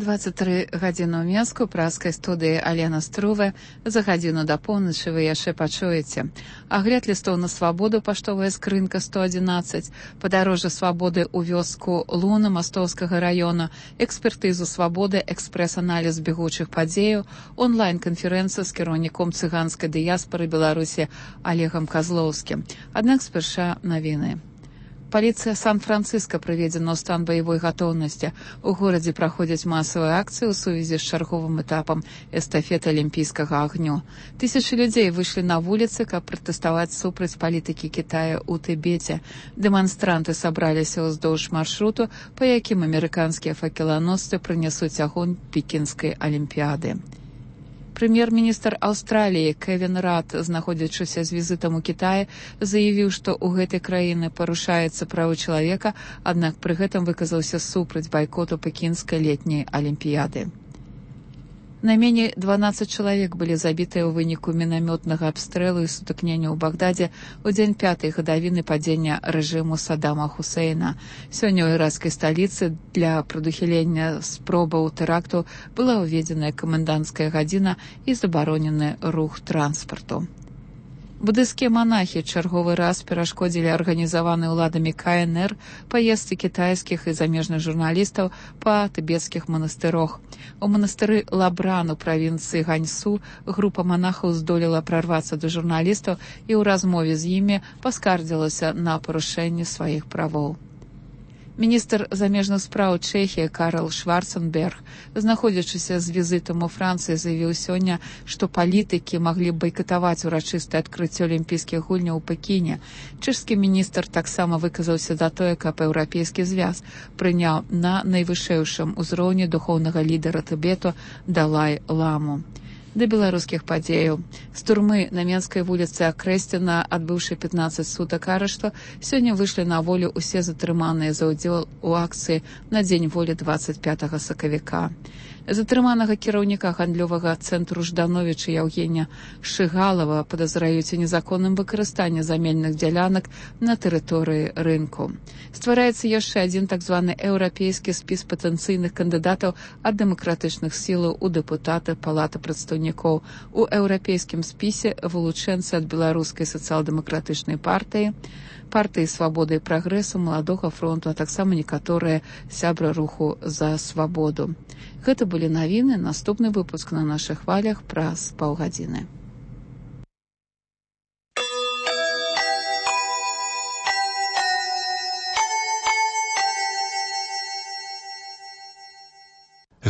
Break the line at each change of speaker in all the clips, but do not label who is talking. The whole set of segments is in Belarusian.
23 гадзіны ў Мінску, праскай студыі Алена Струве. За гадзіну да поўначы вы яшчэ пачуеце. Агляд лістоў на свабоду, паштовая скрынка 111, падарожжа свабоды ў вёску Луна Мастоўскага раёна, экспертызу свабоды, экспрэс-аналіз бегучых падзеяў, онлайн-канферэнцыя з кіраўніком цыганскай дыяспары Беларусі Олегам Козлоўскім. Аднак спярша навіны. Паліцыя Сан-Францыска прыведзена ў стан баявой гатоўнасці. У горадзе праходзяць масавыя акцыі ў сувязі з чарговым этапам эстафеты алімпійскага агню. Тысячы людзей выйшлі на вуліцы, каб пратэставаць супраць палітыкі Кітая ў Тыбеце. Дэманстранты сабраліся ўздоўж маршруту, па якім амерыканскія факеланосцы прынясуць агонь пекінскай алімпіяды. Прэм'ер-міністр Аўстраліі Кевін Рад, знаходзячыся з візітам у Кітаі, заявіў, што ў гэтай краіны парушаюцца правы чалавека, аднак пры гэтым выказаўся супраць байкоту пекінскай летняй алімпіяды. Найменей 12 чалавек былі забітыя ў выніку мінамётнага абстрэлу і сутыкнення ў Багдадзе ў дзень 5-й гадавіны падзення рэжыму Саддама Хусейна. Сёння ў іракскай сталіцы для прадухілення спробаў тэракту была ўведзеная каменданцкая гадзіна і забаронены рух транспарту. Будысцкія манахі чарговы раз перашкодзілі арганізаванай уладамі КНР паездцы кітайскіх і замежных журналістаў па тыбецкіх манастырох. У манастыры Лабран у правінцыі Ганьсу група манахаў здолела прарвацца да журналістаў і ў размове з імі паскардзілася на парушэнне сваіх правоў. Міністр замежных спраў Чэхіі Карл Шварценберг, знаходзячыся з візітам у Францыі, заявіў сёння, што палітыкі маглі байкатаваць урачыстае адкрыццё алімпійскіх гульняў у Пекіне. Чэшскі міністр таксама выказаўся за тое, каб еўрапейскі звяз прыняў на найвышэйшым узроўні духоўнага лідара Тыбету Далай-ламу. Да беларускіх падзеяў. З турмы на Менскай вуліцы Акрэсціна, адбыўшы 15 сутак арышту, сёння выйшлі на волю усе затрыманыя за ўдзел у акцыі на дзень волі 25 сакавіка. Затрыманага кіраўніка гандлёвага цэнтру Ждановіча Яўгенія Шыгалава падазраюць у незаконным выкарыстанні замельных дзялянак на тэрыторыі рынку. Ствараецца яшчэ адзін так званы еўрапейскі спіс патэнцыйных кандыдатаў ад дэмакратычных сілаў у дэпутаты Палаты прадстаўнікоў. У еўрапейскім спісе вылучэнцы ад беларускай сацыял-дэмакратычнай партыі, партыі свабоды і прагрэсу, маладога фронту, а таксама некаторыя сябры руху за свабоду. Гэта былі навіны, наступны выпуск на нашых хвалях праз паўгадзіны.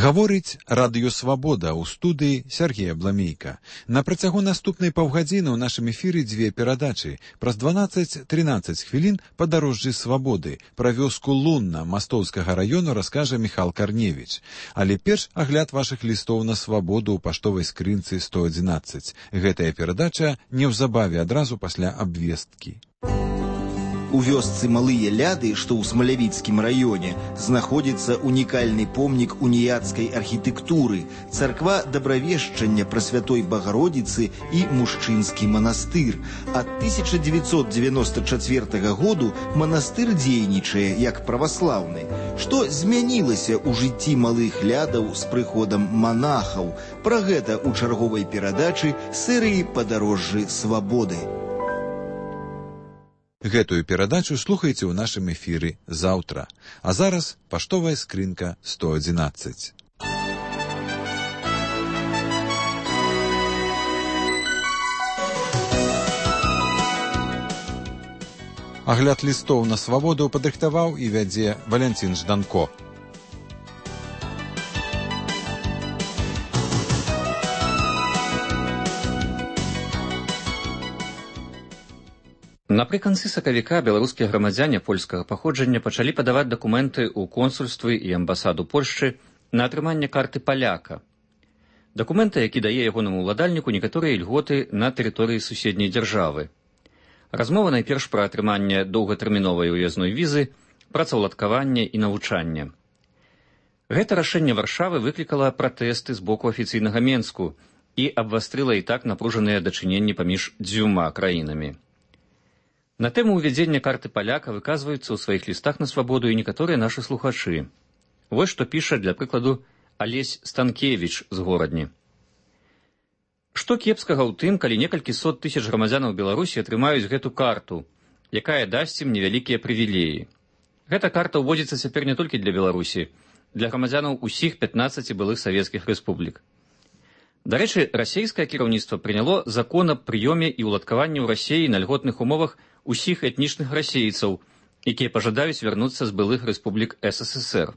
Гаворыць радыёвабода ў студыі Сергея Бламейка. На працягу наступнай паўгадзіны ў нашым эфіры дзве перадачы. Праз 12-13 хвілін падарожжы свабоды. Пра вёску Лунна Мастоўскага раёну раскажа Міхал Карневіч. Але перш агляд вашых лістоў на свабоду ў паштовай скрынцы 111. Гэтая перадача неўзабаве адразу пасля абвесткі.
У вёсцы Малыя Ляды, што ў Смалявіцкім раёне, знаходзіцца унікальны помнік уніяцкай архітэктуры, царква Дабравешчання Прасвятой Багародзіцы і мужчынскі манастыр. Ад 1994 году манастыр дзейнічае як праваслаўны. Што змянілася ў жыцці Малых Лядаў з прыходам манахаў? Пра гэта ў чарговай перадачы серыі «Падарожжы свабоды».
Гэтую перадачу слухайце ў нашым эфіры заўтра. А зараз паштовая скрынка 111. Агляд лістоў на свабоду падрыхтаваў і вядзе Валянцін Жданко.
Напрыканцы сакавіка беларускія грамадзяне польскага паходжання пачалі падаваць дакументы ў консульствы і амбасаду Польшчы на атрыманне карты паляка. Дакумента, які дае ягонаму ўладальніку некаторыя ільготы на тэрыторыі суседняй дзяржавы. Размова найперш пра атрыманне доўгатэрміновай уязной візы, працаўладкаванне і навучанне. Гэта рашэнне Варшавы выклікала пратэсты з боку афіцыйнага Менску і абвастрыла і так напружаныя дачыненні паміж дзвюма краінамі. На тэму ўвядзення карты паляка выказваюцца ў сваіх лістах на свабоду і некаторыя нашы слухачы. Вось што піша, для прыкладу, Алесь Станкевіч з горадні. Што кепскага ў тым, калі некалькі сот тысяч грамадзянаў Беларусі атрымаюць гэту карту, якая дасць ім невялікія прывілеі. Гэта карта ўводзіцца цяпер не толькі для Беларусі, для грамадзянаў усіх 15 былых савецкіх рэспублік. Дарэчы, расейскае кіраўніцтва прыняло закон аб прыёме і ўладкаванні ў Расеі на льготных умовах усіх этнічных расейцаў, якія пажадаюць вярнуцца з былых рэспублік СССР.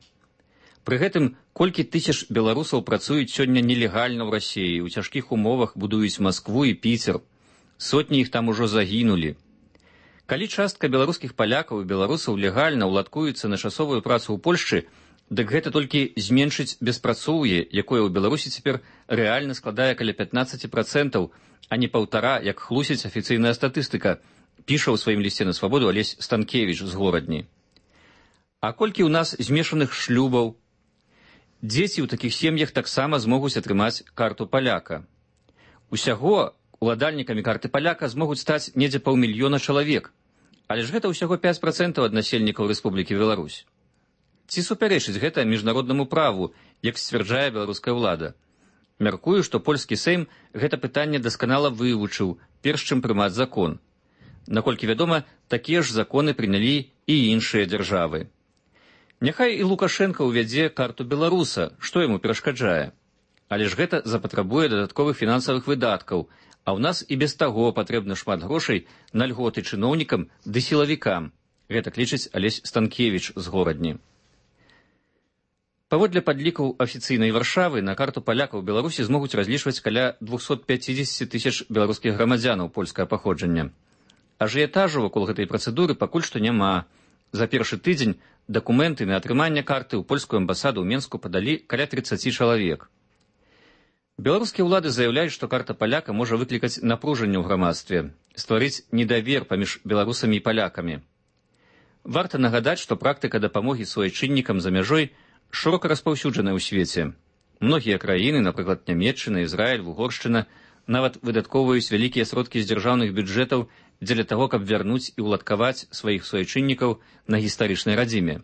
Пры гэтым колькі тысяч беларусаў працуюць сёння нелегальна ў Расеі, у цяжкіх умовах будуюць Маскву і Піцер. Сотні іх там ужо загінулі. Калі частка беларускіх палякаў і беларусаў легальна ўладкуецца на часовую працу ў Польшчы, дык гэта толькі зменшыць беспрацоўе, якое ў Беларусі цяпер рэальна складае каля 15%, а не 1,5%, як хлусіць афіцыйная статыстыка, піша ў сваім лісце на свабоду Алесь Станкевіч з горадні. А колькі ў нас змешаных шлюбаў? Дзеці ў такіх сем'ях таксама змогуць атрымаць карту паляка. Усяго уладальнікамі карты паляка змогуць стаць недзе 500 000 чалавек, але ж гэта ўсяго 5% ад насельнікаў Рэспублікі Беларусь. Ці супярэчыць гэта міжнароднаму праву, як сцвярджае беларуская ўлада? Мяркую, што польскі Сейм гэта пытанне дасканала вывучыў, перш чым прымаць закон. Наколькі вядома, такія ж законы прынялі і іншыя дзяржавы. Няхай і Лукашенко ўвядзе карту беларуса, што яму перашкаджае. Але ж гэта запатрабуе дадатковых фінансавых выдаткаў, а ў нас і без таго патрэбна шмат грошай на льготы чыноўнікам ды сілавікам. Гэта лічыць Алесь Станкевіч з горадні. Паводле падлікаў афіцыйнай Варшавы, на карту палякаў Беларусі змогуць разлічваць каля 250 000 беларускіх грамадзянаў польскага паходжання. Ажыятажу вакол гэтай працэдуры пакуль што няма. За першы тыдзень дакументы на атрыманне карты ў польскую амбасаду ў Менску падалі каля 30 чалавек. Беларускія ўлады заяўляюць, што карта паляка можа выклікаць напружанне ў грамадстве, стварыць недавер паміж беларусамі і палякамі. Варта нагадаць, што практыка дапамогі суайчыннікам за мяжой шырока распаўсюджаная ў свеце. Многія краіны, напрыклад, Нямецчына, Ізраіль, Угоршчына, нават выдаткоўваюць вялікія сродкі з дзяржаўных бюджэтаў дзеля таго, каб вярнуць і ўладкаваць сваіх суайчыннікаў на гістарычнай радзіме.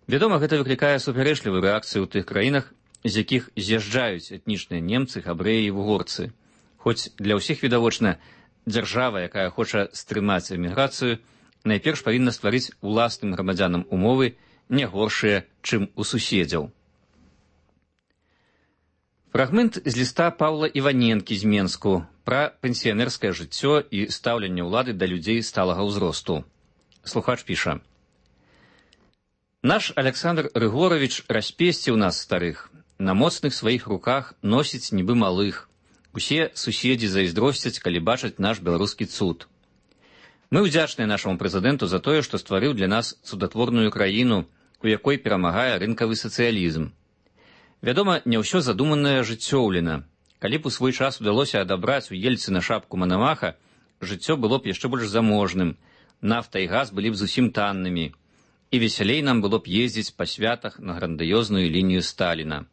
Вядома, гэта выклікае супярэчлівую рэакцыю ў тых краінах, з якіх з'язджаюць этнічныя немцы, габрэі і вугорцы. Хоць для ўсіх відавочна, дзяржава, якая хоча стрымаць эміграцыю, найперш павінна стварыць уласным грамадзянам умовы не горшыя, чым у суседзяў. Фрагмент з ліста Паўла Іваненкі з Менску пра пенсіянерскае жыццё і стаўленне ўлады да людзей сталага ўзросту. Слухач піша: «Наш Александр Рыгорович распесціў нас старых, на моцных сваіх руках носіць нібы малых. Усе суседзі зайздросцяць, калі бачаць наш беларускі цуд. Мы ўдзячныя нашаму прэзідэнту за тое, што стварыў для нас цудатворную краіну, у якой перамагае рынкавы сацыялізм. Вядома, не ўсё задуманае жыццёўлена. Калі б у свой час удалося адабраць у Ельцына шапку Манамаха, жыццё было б яшчэ больш заможным, нафта і газ былі б зусім таннымі, і весялей нам было б ездзіць па святах на грандыёзную лінію Сталіна.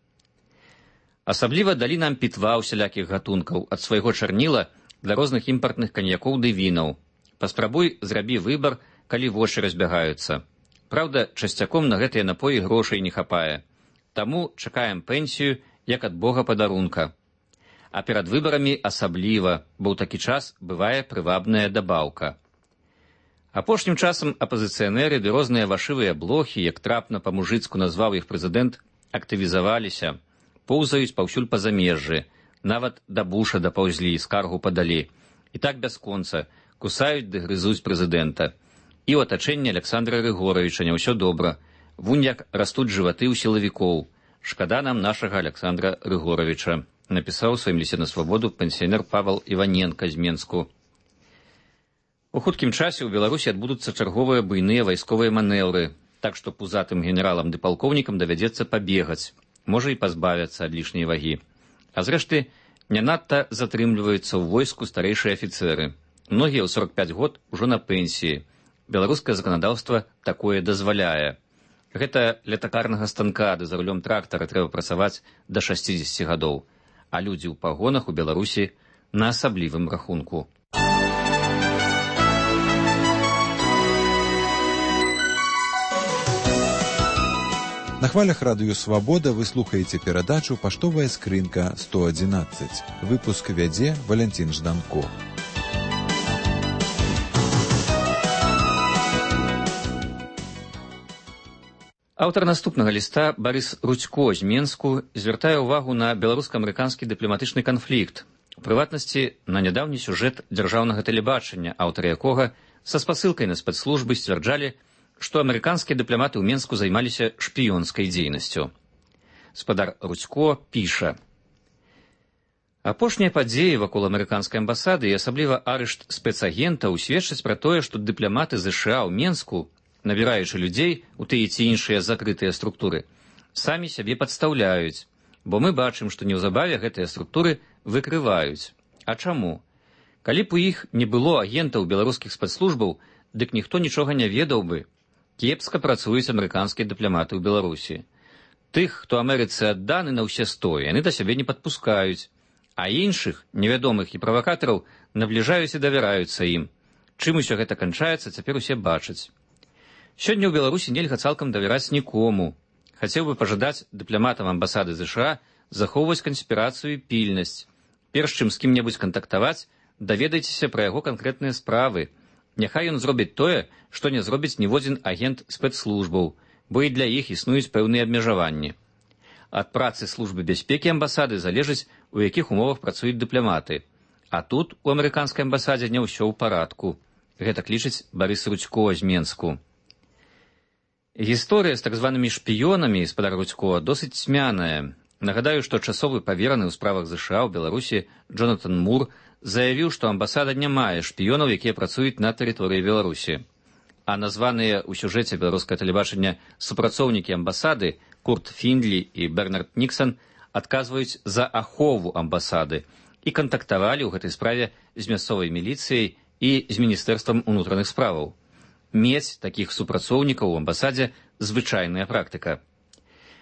Асабліва далі нам пітва ўсялякіх гатункаў, ад свайго чарніла для розных імпартных каньякоў ды вінаў. Паспрабуй зрабі выбар, калі вочы разбягаюцца. Праўда, часцяком на гэтыя напоі грошай не хапае. Таму чакаем пенсію, як ад Бога падарунка. А перад выбарамі асабліва, бо ў такі час бывае прывабная дабаўка. Апошнім часам апазіцыянеры ды розныя вашывыя блохі, як трапна па-мужыцку назваў іх прэзідэнт, актывізаваліся, поўзаюць паўсюль па замежжы, нават да Буша дапаўзлі, скаргу падалі. І так бясконца, кусаюць ды грызуць прэзідэнта. І ў атачэнні Александра Рыгоровича не ўсё добра. Вунь як растуць жываты ў сілавікоў. Шкада нам нашага Александра Рыгоровича, напісаў у сваім лісце на свабоду пенсіянер Павел Іваненка з Менску. У хуткім часе ў Беларусі адбудуцца чарговыя буйныя вайсковыя манеўры, так што пузатым генералам ды палкоўнікам давядзецца пабегаць, можа і пазбавяцца ад лішняй вагі. А зрэшты, не надта затрымліваюцца ў войску старэйшыя афіцэры. Многія ў 45 год ужо на пенсіі. Беларускае заканадаўства такое дазваляе. Гэта ля такарнага станка ды за рулём трактара трэба працаваць да 60 гадоў, а людзі ў пагонах у Беларусі на асаблівым рахунку.
На хвалях радыё «Свабода» вы слухаеце перадачу «Паштовая скрынка 111». Выпуск вядзе Валентин Жданко.
Аўтар наступнага ліста Барыс Рудзько з Менску звяртае ўвагу на беларуска-амерыканскі дыпламатычны канфлікт, у прыватнасці на нядаўні сюжэт дзяржаўнага тэлебачання, аўтары якога са спасылкай на спецслужбы сцвярджалі, што амерыканскія дыпламаты ў Менску займаліся шпіёнскай дзейнасцю. Спадар Рудзько піша: апошнія падзеі вакол амерыканскай амбасады і асабліва арышт спецагентаў сведчаць пра тое, што дыпламаты ЗША ў Менску, набіраючы людзей у тыя ці іншыя закрытыя структуры, самі сябе падстаўляюць, бо мы бачым, што неўзабаве гэтыя структуры выкрываюць. А чаму? Калі б у іх не было агентаў беларускіх спецслужбаў, дык ніхто нічога не ведаў бы. Кепска працуюць амерыканскія дыпламаты ў Беларусі. Тых, хто Амерыцы адданы на ўсе стоі, яны да сябе не падпускаюць, а іншых, невядомых і правакатараў, набліжаюць і давяраюцца ім. Чым усё гэта канчаецца, цяпер усе бачаць. Сёння ў Беларусі нельга цалкам давяраць нікому. Хацеў бы пажадаць дыпламатам амбасады ЗША захоўваць канспірацыю і пільнасць. Перш чым з кім-небудзь кантактаваць, даведайцеся пра яго канкрэтныя справы. Няхай ён зробіць тое, што не зробіць ніводзін агент спецслужбаў, бо і для іх існуюць пэўныя абмежаванні. Ад працы службы бяспекі амбасады залежыць, у якіх умовах працуюць дыпламаты. А тут у амерыканскай амбасадзе не ўсё ў парадку. Гэтак лічыць Барыс Рудзько з Менску. Гісторыя з так званымі шпіёнамі, спадар Рудзько, досыць цьмяная. Нагадаю, што часовы павераны ў справах ЗША ў Беларусі Джонатан Мур заявіў, што амбасада не мае шпіёнаў, якія працуюць на тэрыторыі Беларусі. А названыя ў сюжэце беларускае тэлебачання супрацоўнікі амбасады Курт Фіндлі і Бернард Ніксан адказваюць за ахову амбасады і кантактавалі ў гэтай справе з мясцовай міліцыяй і з міністэрствам унутраных справаў. Мець такіх супрацоўнікаў у амбасадзе звычайная практыка.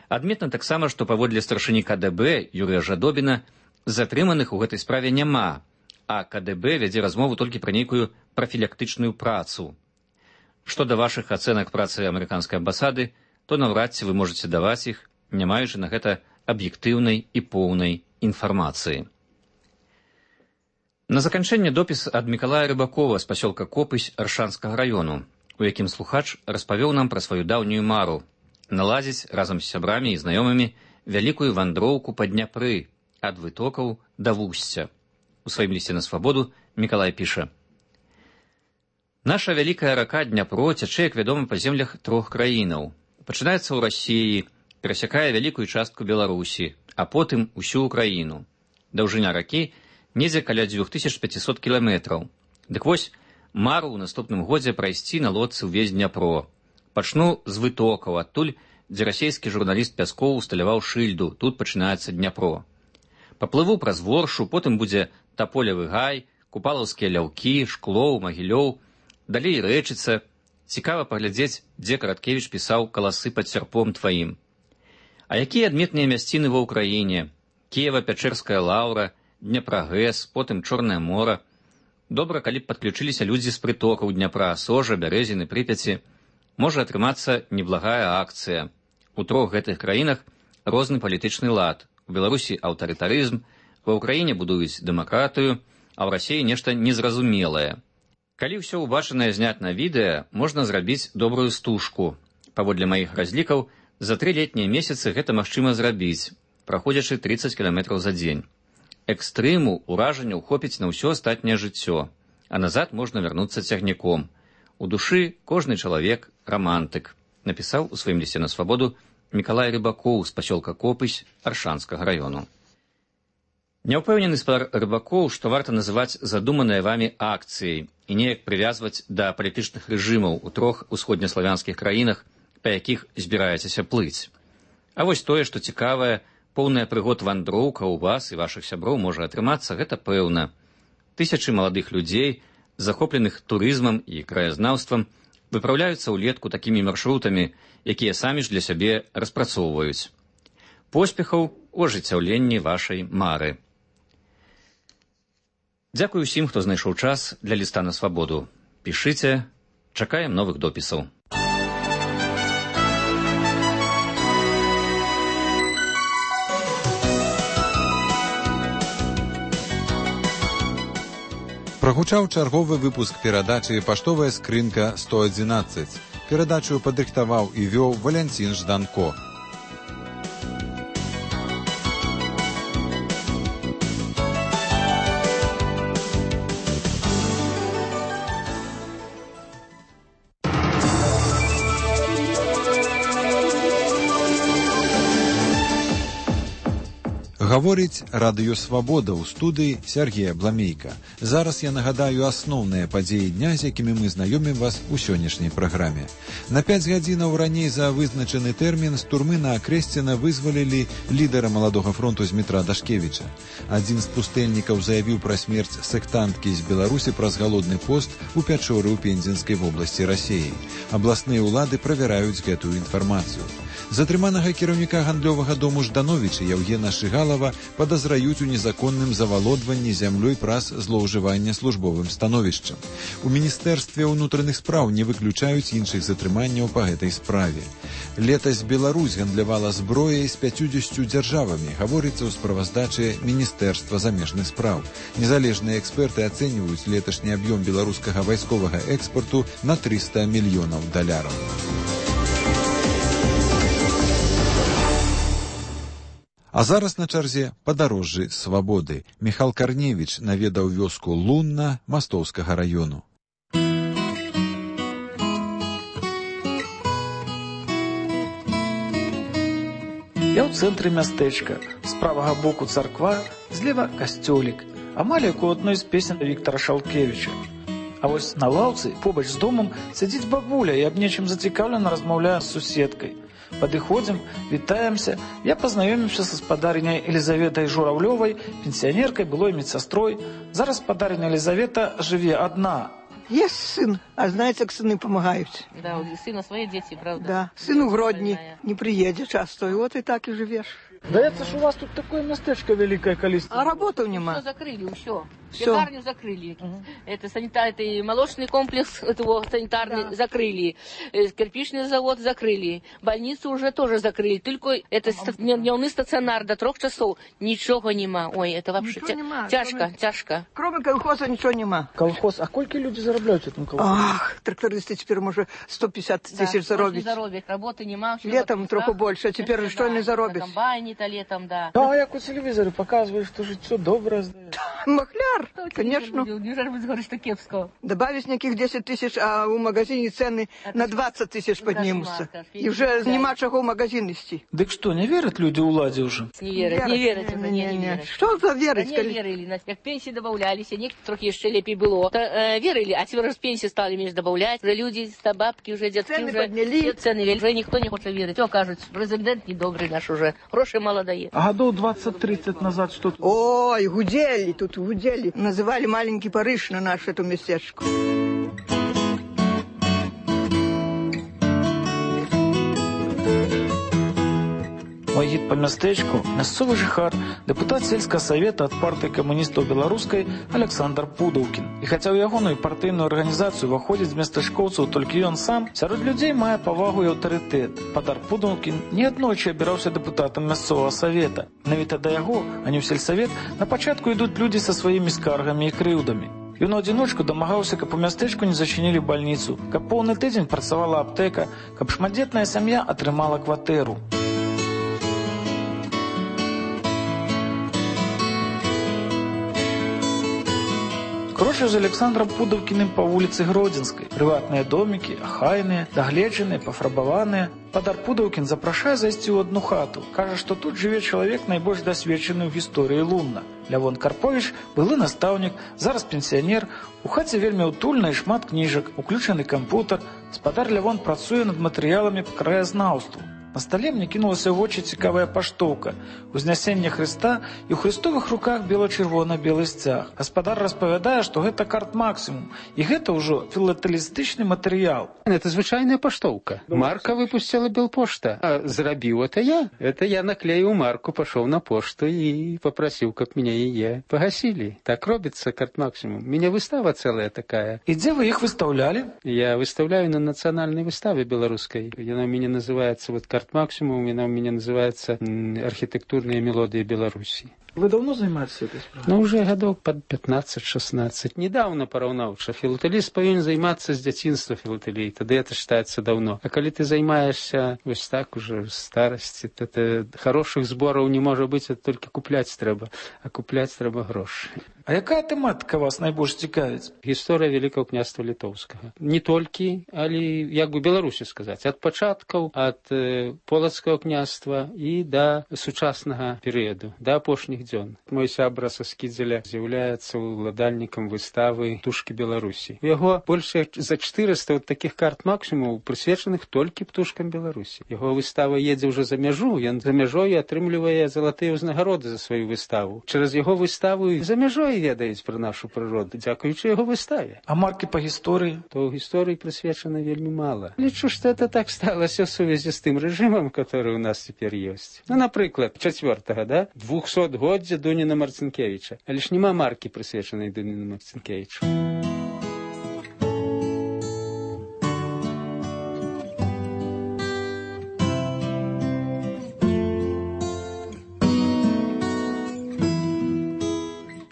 Адметна таксама, што паводле старшыні КДБ Юрыя Жадобіна затрыманых у гэтай справе няма, а КДБ вядзе размову толькі пра нейкую прафілактычную працу. Што да вашых ацэнак працы амерыканскай амбасады, то наўрад ці вы можаце даваць іх, не маючы на гэта аб'ектыўнай і поўнай інфармацыі. На заканчэнне допіс ад Мікалая Рыбакова з пасёлка Копысь Аршанскага раёну, у якім слухач распавёў нам пра сваю даўнюю мару наладзіць разам з сябрамі і знаёмымі вялікую вандроўку па Дняпры ад вытокаў да вусця. У сваім лісце на свабоду Мікалай піша: наша вялікая рака Дняпро цячэ, як вядома, па землях 3 краінаў. Пачынаецца ў Расіі, перасякае вялікую частку Беларусі, а потым усю Украіну. Даўжыня ракі недзе каля 2500 кіламетраў. Дык вось, мару ў наступным годзе прайсці на лодцы ўвесь Дняпро. Пачну з вытокаў, адтуль, дзе расійскі журналіст Пяскоў усталяваў шыльду, тут пачынаецца Дняпро. Паплыву праз Воршу, потым будзе Таполевы гай, Купалаўскія ляўкі, Шклоў, Магілёў, далей Рэчыца. Цікава паглядзець, дзе Караткевіч пісаў «Каласы пад сярпом тваім». А якія адметныя мясціны ва ўкраіне? Кіева-Пячэрская лаўра, Дняпрагэс, потым Чорнае мора. Добра, калі б падключыліся людзі з прытокаў Дняпра, Сожа, Бярэзіны, Прыпяці. Можа атрымацца неблагая акцыя. У 3 гэтых краінах розны палітычны лад. У Беларусі аўтарытарызм, ва ўкраіне будуюць дэмакратыю, а ў Расіі нешта незразумелае. Калі ўсё ўбачанае зняць на відэа, можна зрабіць добрую стужку. Паводле маіх разлікаў, за 3 летнія месяцы гэта магчыма зрабіць, праходзячы 30 кіламетраў за дзень. Экстрыму, уражанняў хопіць на ўсё астатняе жыццё, а назад можна вярнуцца цягніком. У душы кожны чалавек рамантык, напісаў у сваім лісце на свабоду Мікалай Рыбакоў з пасёлка Копысь Аршанскага раёну. Няўпэўнены спадар Рыбакоў, што варта называць задуманыя вамі акцыяй і неяк прывязваць да палітычных рэжымаў у 3 усходнеславянскіх краінах, па якіх збіраецеся плыць. А вось тое, што цікавае, поўная прыгод вандроўка ў вас і вашых сяброў можа атрымацца, гэта пэўна. Тысячы маладых людзей, захопленых турызмам і краязнаўствам, выпраўляюцца ўлетку такімі маршрутамі, якія самі ж для сябе распрацоўваюць. Поспехаў у ажыццяўленні вашай мары. Дзякую ўсім, хто знайшоў час для ліста на свабоду. Пішыце, чакаем новых допісаў.
Прагучаў чарговы выпуск перадачы «Паштовая скрынка 111». Перадачу падрыхтаваў і вёў Валянцін Жданко. Гаворыць радыё «Свабода» ў студыі Сергея Бламейка. Зараз я нагадаю асноўныя падзеі дня, з якімі мы знаёмім вас у сённяшняй праграме. На 5 гадзінаў раней за вызначаны тэрмін з турмы на Акрэсціна вызвалілі лідара Маладога фронту Змітра Дашкевіча. Адзін з пустэльнікаў заявіў пра смерць сектанткі з Беларусі праз галодны пост у Пячоры ў Пензенскай вобласці Расіі. Абласныя ўлады правяраюць гэтую інфармацыю. Затрыманага кіраўніка гандлёвага дому Ждановіча Яўгена Шыгалава падазраюць у незаконным завалодванні зямлёй праз злоўжывання службовым становішчам. У Міністэрстве ўнутраных спраў не выключаюць іншых затрыманняў па гэтай справе. Летась Беларусь гандлявала зброяй з 50 дзяржавамі, гаворыцца ў справаздачы Міністэрства замежных спраў. Незалежныя эксперты ацэньваюць леташні аб'ём беларускага вайсковага экспарту на $300 мільёнаў. А зараз на чарзе падарожжы свабоды. Міхал Карневіч наведаў вёску Лунна Мастоўскага раёну.
Я ў цэнтры мястэчка. З правага боку царква, злева касцёлік. Амаль як у адной з песен Віктара Шалкевіча. А вось на лаўцы, побач з домам, сядзіць бабуля і аб нечым зацікаўлена размаўляе з суседкай. Падыходзім, вітаемся. Я пазнаёміўся са спадарыняй Елізаветай Журавлёвай, пенсіянеркай, былой медсястрой. Зараз спадарыня Елизавета жыве одна.
Есть сын, а знаете, как сыны помогают.
Да, у сына свои дети, правда.
Да, сын у Гродни не приедет часто, и вот и так и живешь.
Да это ж у вас тут такое местечко великое количество.
А работы нема.
Все закрыли, все. Пекарню закрыли. Это санитарный, молочный комплекс этого санитарный закрыли. Кирпичный завод закрыли. Больницу уже тоже закрыли. Только это дневный стационар до 3 часов. Ничего нема. Ой, это вообще тяжко.
Кроме колхоза ничего нема.
Колхоз, а сколько люди зарабатывают в этом колхозе?
Ах, трактористы теперь, может, 150 тысяч заробить.
Работы нема.
Летом трохи больше, а теперь что не заробить?
Комбайне-то летом, да.
А як у телевизоре показывают, что же все доброе.
Махляр, конечно.
Неужели вы говорите, что кепско?
Добавить неких 10 тысяч, а у магазине цены на 20 тысяч поднимутся. И уже нема чего в магазин нести.
Так что, не верят люди уладе уже?
Не верят. Не.
Что за верить?
Не верили. Как пенсии добавлялись, а некоторых трохи еще лепей было. Верили, а теперь раз пенсии стали меньше добавлять. Уже люди, бабки, уже детки,
цены
уже
подняли.
Цены, уже никто не хочет верить. Все, кажуть, президент недобрый наш уже. Гроши мало дает.
А годов 20-30 назад что-то...
Ой, гудели. Называли маленький Париж на нашу эту местечку.
Мой гід по мястэчку – мясцовы жыхар, дэпутат сельскага савета ад партыі камуністаў беларускай Александр Пудаўкін. І хаця ў ягоную партыйную арганізацыю ўваходзіць з местачкоўцаў толькі ён сам, сярод людзей мае павагу і аўтарытэт. Падар Пудаўкін неаднойчы абіраўся дэпутатам мясцовага савета. Навіта да яго, а не ў сельсавет, на пачатку ідуць людзі са сваімі скаргамі і крыўдамі. Ён у адзіночку дамагаўся, каб у мястэчку не зачынілі бальніцу, каб поўны тыдзень працавала аптэка, каб шматдзетная сям'я атрымала кватэру. Крочу з Александром Пудаўкіным па вуліцы Гродзенскай. Прыватныя домікі, ахайныя, дагледжаныя, пафарбаваныя. Падар Пудаўкін запрашае зайсці ў адну хату. Кажа, што тут жыве чалавек найбольш дасведчаны ў гісторыі Лунна. Лявон Карповіч, былы настаўнік, зараз пенсіянер. У хаце вельмі ўтульна і шмат кніжак, уключаны кампутар. Спадар Лявон працуе над матэрыяламі па краязнаўству. На стале мне кінулася ў вочы цікавая паштоўка. Узнясенне Хрыста і ў хрыстовых руках бела-чырвона-белы сцяг. Гаспадар распавядае, што гэта карт максімум. І гэта ўжо філатэлістычны матэрыял.
Это звычайная паштоўка. Марка выпустила Белпошта. А зрабіў это я. Это я наклеіў марку, пашоў на пошту і попросіў, каб меня яе погасили. Так робіцца карт максімум. У меня выстава целая такая.
І дзе вы іх выстаўлялі?
Я выставляю на нацыянальнай выставе беларускай. Яна у мяне называется вот карт карт-максимум, она у меня называется «Архитектурные мелодии Беларуси».
Вы давно занимаетесь этой справой?
Ну, уже годов под 15-16. Недавно параўнаў, что филателист повинен заниматься с детства филателией. Тогда это считается давно. А когда ты занимаешься вот так уже в старости, то хороших сборов не может быть, это только купляць трэба. А купляць трэба грошы.
А якая тэматыка вас найбольш цікавіць?
Гісторыя Великого княства Літоўскага. Не толькі, але, як бы Беларусі сказаць, ад пачаткаў, ад полацкага княства і да сучаснага перыяду, да апошніх дзён. Мой сябра са Скідзеля з'яўляецца уладальнікам выставы «Птушкі Беларусі». У яго больш за 400 вот таких карт-максімумаў, прысвечаных толькі птушкам Беларусі. Яго выстава едзе ўжо за мяжу, ён за мяжой атрымлівае залатыя ўзнагароды за сваю выставу. Через яго выставу за мяжой ведаюць пра нашу прыроду, дзякуючы яго выставе.
А маркі па гісторыі?
То гісторыі прысвечана вельмі мала. Лічу, што это так сталася ў сувязі з тым рэжымам, который у нас цяпер ёсць. Ну, напрыклад, 4-го, да? 200-годдзя Дуніна Марцінкевіча. Але ж няма маркі, прысвечанай Дуніну Марцінкевічу.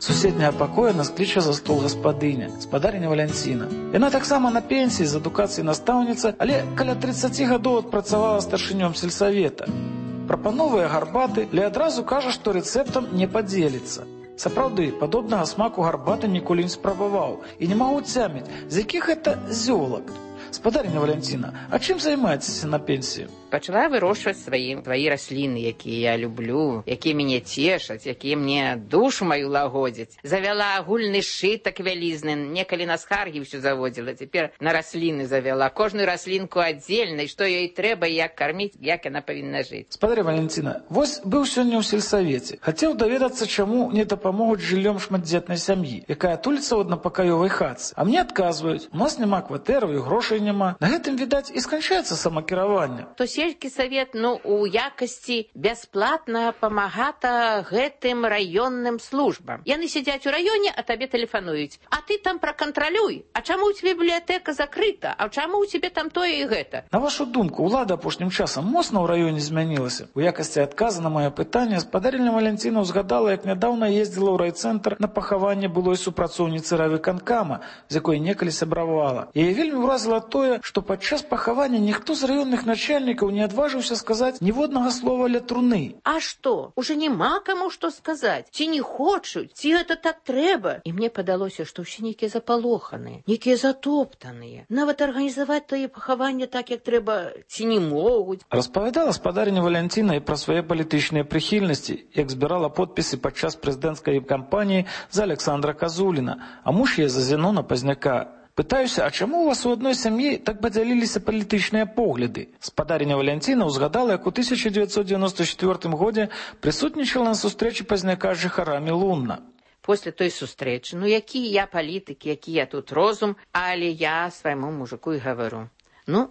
Суседняга пакоя нас кліча за стол гаспадыня, спадарыня Валянціна. Яна таксама на пенсіі з адукацыі настаўніца, але каля 30 гадоў адпрацавала старшынём сельсавета. Прапановвае гарбаты, але адразу кажа, што рэцэптам не падзеліцца. Сапраўды, падобнага смаку гарбаты ніколі не спрабаваў і не магу цяміць, з якіх гэта зёлак. Спадарыня Валянціна, а чым займаецеся на пенсіі?
Пачала вырошчваць свае расліны, якія я люблю, якія мяне цешаць, якія мне душу маю лагодзяць. Завяла агульны сшытак вялізны, некалі на схаргі ўсё заводзіла, цяпер на расліны завяла. Кожную раслінку аддзельна, што ёй трэба, як карміць, як яна павінна жыць.
Спадарня Валянціна, вось быў сёння ў сельсавеце. Хацеў даведацца, чаму не дапамогуць жыллём шматдзетнай сям'і, якая туліцца ў аднапакаёвай хатцы. А мне адказваюць, у нас няма кватэраў і грошай няма. На гэтым, відаць, і сканчаецца самакіраванне.
То сельскі савет, у якасці бясплатна памагата гэтым раённым службам. Яны сядзяць у раёне, а табе тэлефануюць. А ты там пракантралюй. А чаму ў цябе бібліятэка закрыта? А чаму ў цябе там тое і гэта?
На вашу думку, улада апошнім часам моцна ў раёне змянілася? У якасці адказа на маё пытанне спадарня Валянціна ўзгадала, як нядаўна ездзіла ў райцэнтр на пахаванне былой супрацоўніцы райвыканкама, з якой некалі сябравала. Яе вельмі ўразіла тое, што падчас пахавання ніхто з раённых начальнікаў не адважыўся сказаць ніводнага слова ля труны.
А што? Уже няма каму што сказаць. Ці не хочуць, ці гэта так трэба. І мне падалося, што ўсе нейкія запалоханыя, нейкія затоптаныя. Нават арганізаваць тое пахаванне так, як трэба, ці не могуць.
Распавядала спадарня Валянціна і пра свае палітычныя прыхільнасці, як збірала подпісы падчас прэзідэнцкай кампаніі за Александра Казуліна, а муж яе за Зенона Пазняка. Пытаюся, а чаму у вас у адной сям'і так падзяліліся палітычныя погляды? Спадарня Валянціна ўзгадала, як у 1994 годзе прысутнічала на сустрэчы Пазняка з жыхарамі Лунна.
После той сустрэчы, які я палітык, які я тут розум, але я свайму мужику і гавару.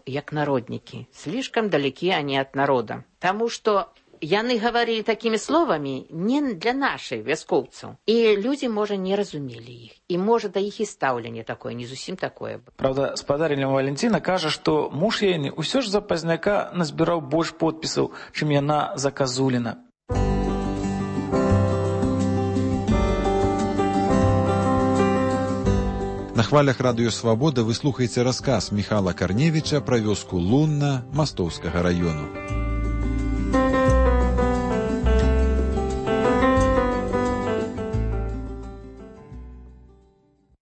Як народнікі, слишком далекі они от народа. Таму што яны гаварылі такімі словамі не для нашай вяскоўцаў. І людзі, можа, не разумелі іх. І, можа, да іх і стаўленне такое, не зусім такое.
Праўда, спадарня Валянціна кажа, што муж яе ўсё ж за Пазняка назбіраў больш подпісаў, чым яна за Казуліна.
На хвалях радыё «Свабода» вы слухаеце расказ Міхала Карневіча пра вёску Лунна Мастоўскага раёну.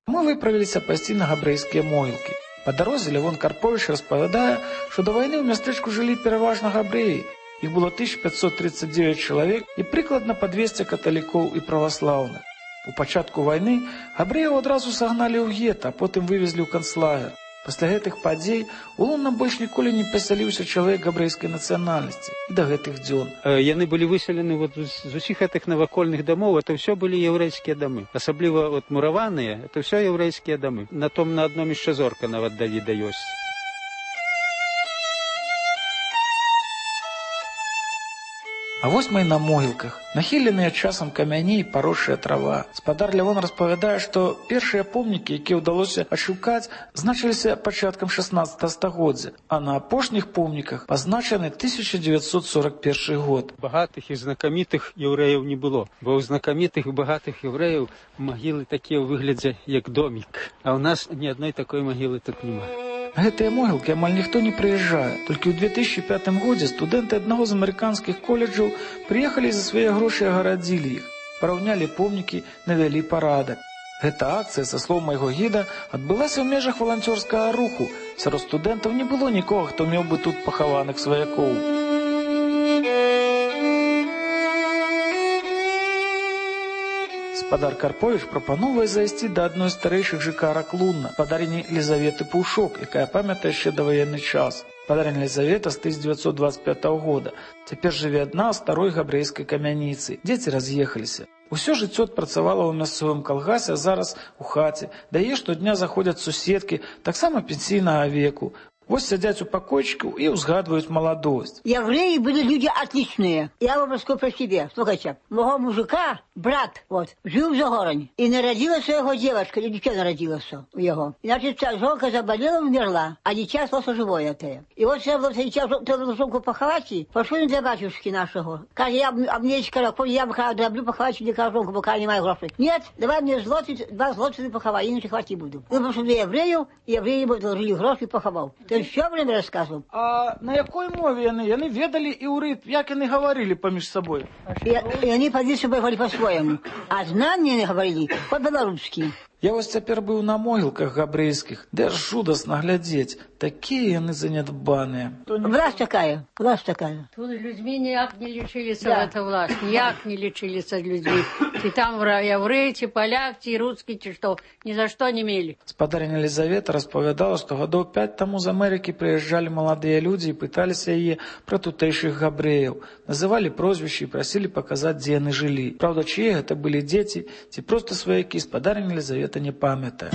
Мы выправіліся пайсці на габрэйскія могілкі. Па дарозе Лявон Карповіч распавядае, што да вайны ў мястэчку жылі пераважна габрэі. Іх было 1539 чалавек і прыкладна па 200 каталікоў і праваслаўных. У пачатку вайны габрэяў адразу сагналі ў гета, а потым вывезлі ў канцлагер. Пасля гэтых падзей у Лунна больш ніколі не пасяліўся чалавек габрэйскай нацыянальнасці і да гэтых дзён.
Яны былі выселены з усіх гэтых навакольных дамоў, это ўсё былі яўрэйскія дамы. Асабліва мураваныя, это ўсё яўрэйскія дамы. На адном яшчэ зорка нават Давіда ёсць.
А вось мы і на могілках. Нахіленыя часам камяні і паросшая трава. Спадар Лявон распавядае, што першыя помнікі, якія ўдалося адшукаць, значыліся пачаткам 16 стагоддзя, а на апошніх помніках пазначаны 1941 год.
Багатых і знакамітых яўрэяў не было, бо ў знакамітых і багатых яўрэяў магілы такія ў выглядзе, як домік. А ў нас ні адной такой магілы тут няма.
На гэтыя могілкі амаль ніхто не прыязджае. Толькі ў 2005 годзе студэнты аднаго з амерыканскіх каледжаў прыехалі за свае грошы і агарадзілі іх. Параўнялі помнікі, навялі парадак. Гэта акцыя, са слоў майго гіда, адбылася ў межах валанцёрскага руху. Сярод студэнтаў не было нікога, хто меў бы тут пахаваных сваякоў. Спадар Карпович прапановвае зайсці да адной з старэйшых жыхарак Лунна, спадарыні Лізаветы Паўшок, якая памятае яшчэ даваенны час. Спадарыня Лізавета з 1925 года. Цяпер жыве адна ў старой габрэйскай камяніцы. Дзеці раз'ехаліся. Усё жыццё адпрацавала ў мясцовым калгасе, а зараз у хаце. Да яе штодня заходзяць суседкі, таксама пенсійнага веку. Вот сидят у покойчиков и узгадывают молодость.
Евреи были люди отличные. Я вам расскажу про себя. Слухайте, моего мужика, брат, вот, жил в Загороне. И народилась его девочка, или дитя народилось у него. И, значит, жонка заболела, умерла, а дитя осталось живое это. И вот я было дитя, треба жонку поховать, пошли для батюшки нашего. Каже, я мне сказал, я бы дроблю поховать для жонку, пока не маю грошей. Нет, давай мне злотить, 2 злотых поховать, иначе хватить буду. Мы пошли для евреев, и евреи ему должили гроши и поховал. Все время рассказывал.
А на якой мове яны? Яны ведали іўрыт, як яны говорили поміж собой?
И они по собой говорили по-своему. А знания они говорили по-белорусски.
Я вось цяпер быў на могілках габрэйскіх, де жудасна глядзець. Такія яны занядбаныя.
Власть такая, власть такая.
Тут людьми ніяк не лічыліся, да. Эта власть, ніяк не лічыліся людьми. Ці там яўрэі, ці паляк, ці рускі, ці што, ні за што не мелі.
Спадарыня Лізавета распавядала, што гадоў 5 таму з Амерыкі прыязджалі маладыя людзі і пыталіся яе пра тутэйшых габрэяў. Называлі прозвішчы і прасілі паказаць, дзе яны жылі. Праўда, чые гэта былі дзеці, ці проста сваякі, спадарыня Лізавета не памятае.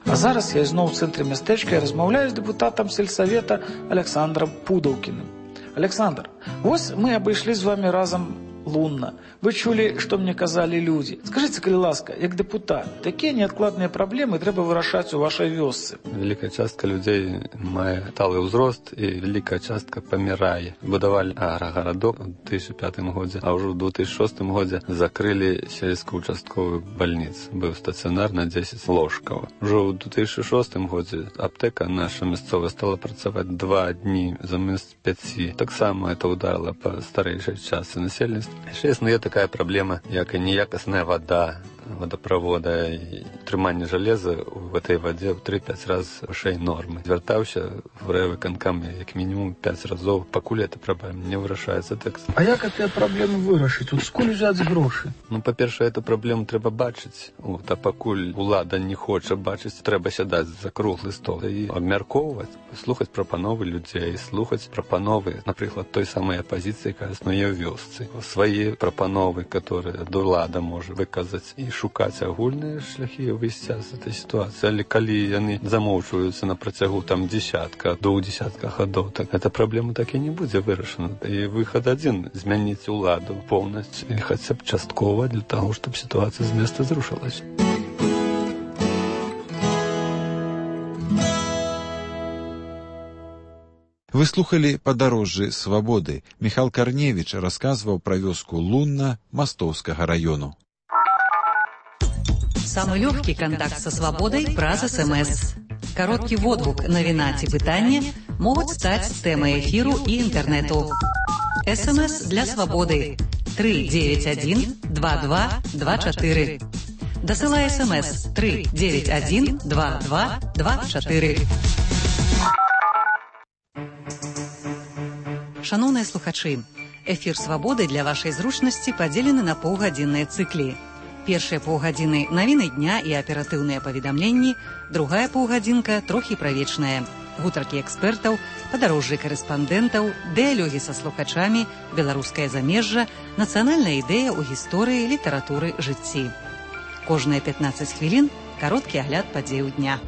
А зараз я ізноў у цэнтры мястэчка і размаўляю з дэпутатам сельсавета Александром Пудаўкіным. Александр, вось мы абышлі з вами разам Лунна. Вы чулі, што мне казалі людзі. Скажыце, калі ласка, як дэпутат, такія неадкладныя праблемы трэба вырашаць у вашай вёсцы.
Великая частка людзей мае сталы ўзрост і великая частка памірае. Будавалі аграгарадок у 2005 годзе, а ўжо ў 2006 годзе закрылі сельскую участковую бальніцу. Быў стацыянар на 10 ложкаў. Ужо ў 2006 годзе аптэка наша мясцовая стала працаваць 2 дні замест 5. Таксама это ударила па старэйшай частцы насельніцтва. Яшчэ існуе такая праблема, як і неякасная вада, водопровода і трыманне жалеза в этой вадзе ў 3-5 раз вышэй нормы. Звяртаўся в райвыканкам як мінімум 5 разоў, пакуль эта праблема не вырашаецца тэкст.
А як гэтыя праблемы вырашыць? Скуль узяць грошы?
Ну, па-першае, эту праблему трэба бачыць. Вот, а пакуль улада не хоча бачыць, трэба сядаць за круглы стол і абмяркоўваць, слухаць прапановы людзей, слухаць прапановы, напрыклад, той самай апазіцыі, якая існуе ў вёсцы. Свае прапановы, которые улада можа выказаць і шукаць агульныя шляхі выйсця з этой сітуацыі. Але калі яны замоўчваюцца на працягу там дзесятка, до дзесятка гадоў, так эта праблема так і не будзе вырашана. І выхад адзін — змяніць уладу поўнасцю і хаця б часткова для таго, чтобы сітуацыя з места зрушылась.
Вы слухали «Падарожжы свабоды». Михал Карневіч расказваў пра вёску Лунна Мастоўскага раёну.
Самый легкий контакт со свободой праз СМС. Короткий водгук, навіна ці пытанне могуць стаць тэмай эфіру і інтэрнэту. СМС для свободы 391-2224. Дасылай СМС 391-2224. Шановныя слухачы, эфір свабоды для вашай зручнасці падзелены на паўгадзінныя цыклі. Першыя паўгадзіны навіны дня і аператыўныя паведамленні, другая паўгадзінка трохі пра вечнае. гутаркі экспертаў, падарожжы карэспандэнтаў, дыялогі са слухачамі, беларускае замежжа, нацыянальная ідэя ў гісторыі, літаратуры, жыцці. Кожныя 15 хвілін кароткі агляд падзеяў дня.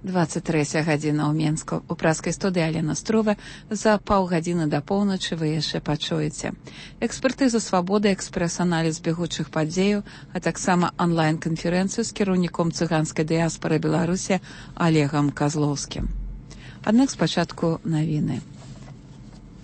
«23 гадзіна ў Менску». У праскай студыі Алена Струва. За паўгадзіны да поўначы вы яшчэ пачуеце экспертызу «Свабоды», экспрэс-аналіз бягучых падзеяў, а таксама онлайн-канферэнцыю з кіраўніком цыганскай дыяспары Беларусі Олегам Козловскім. Аднак спачатку навіны.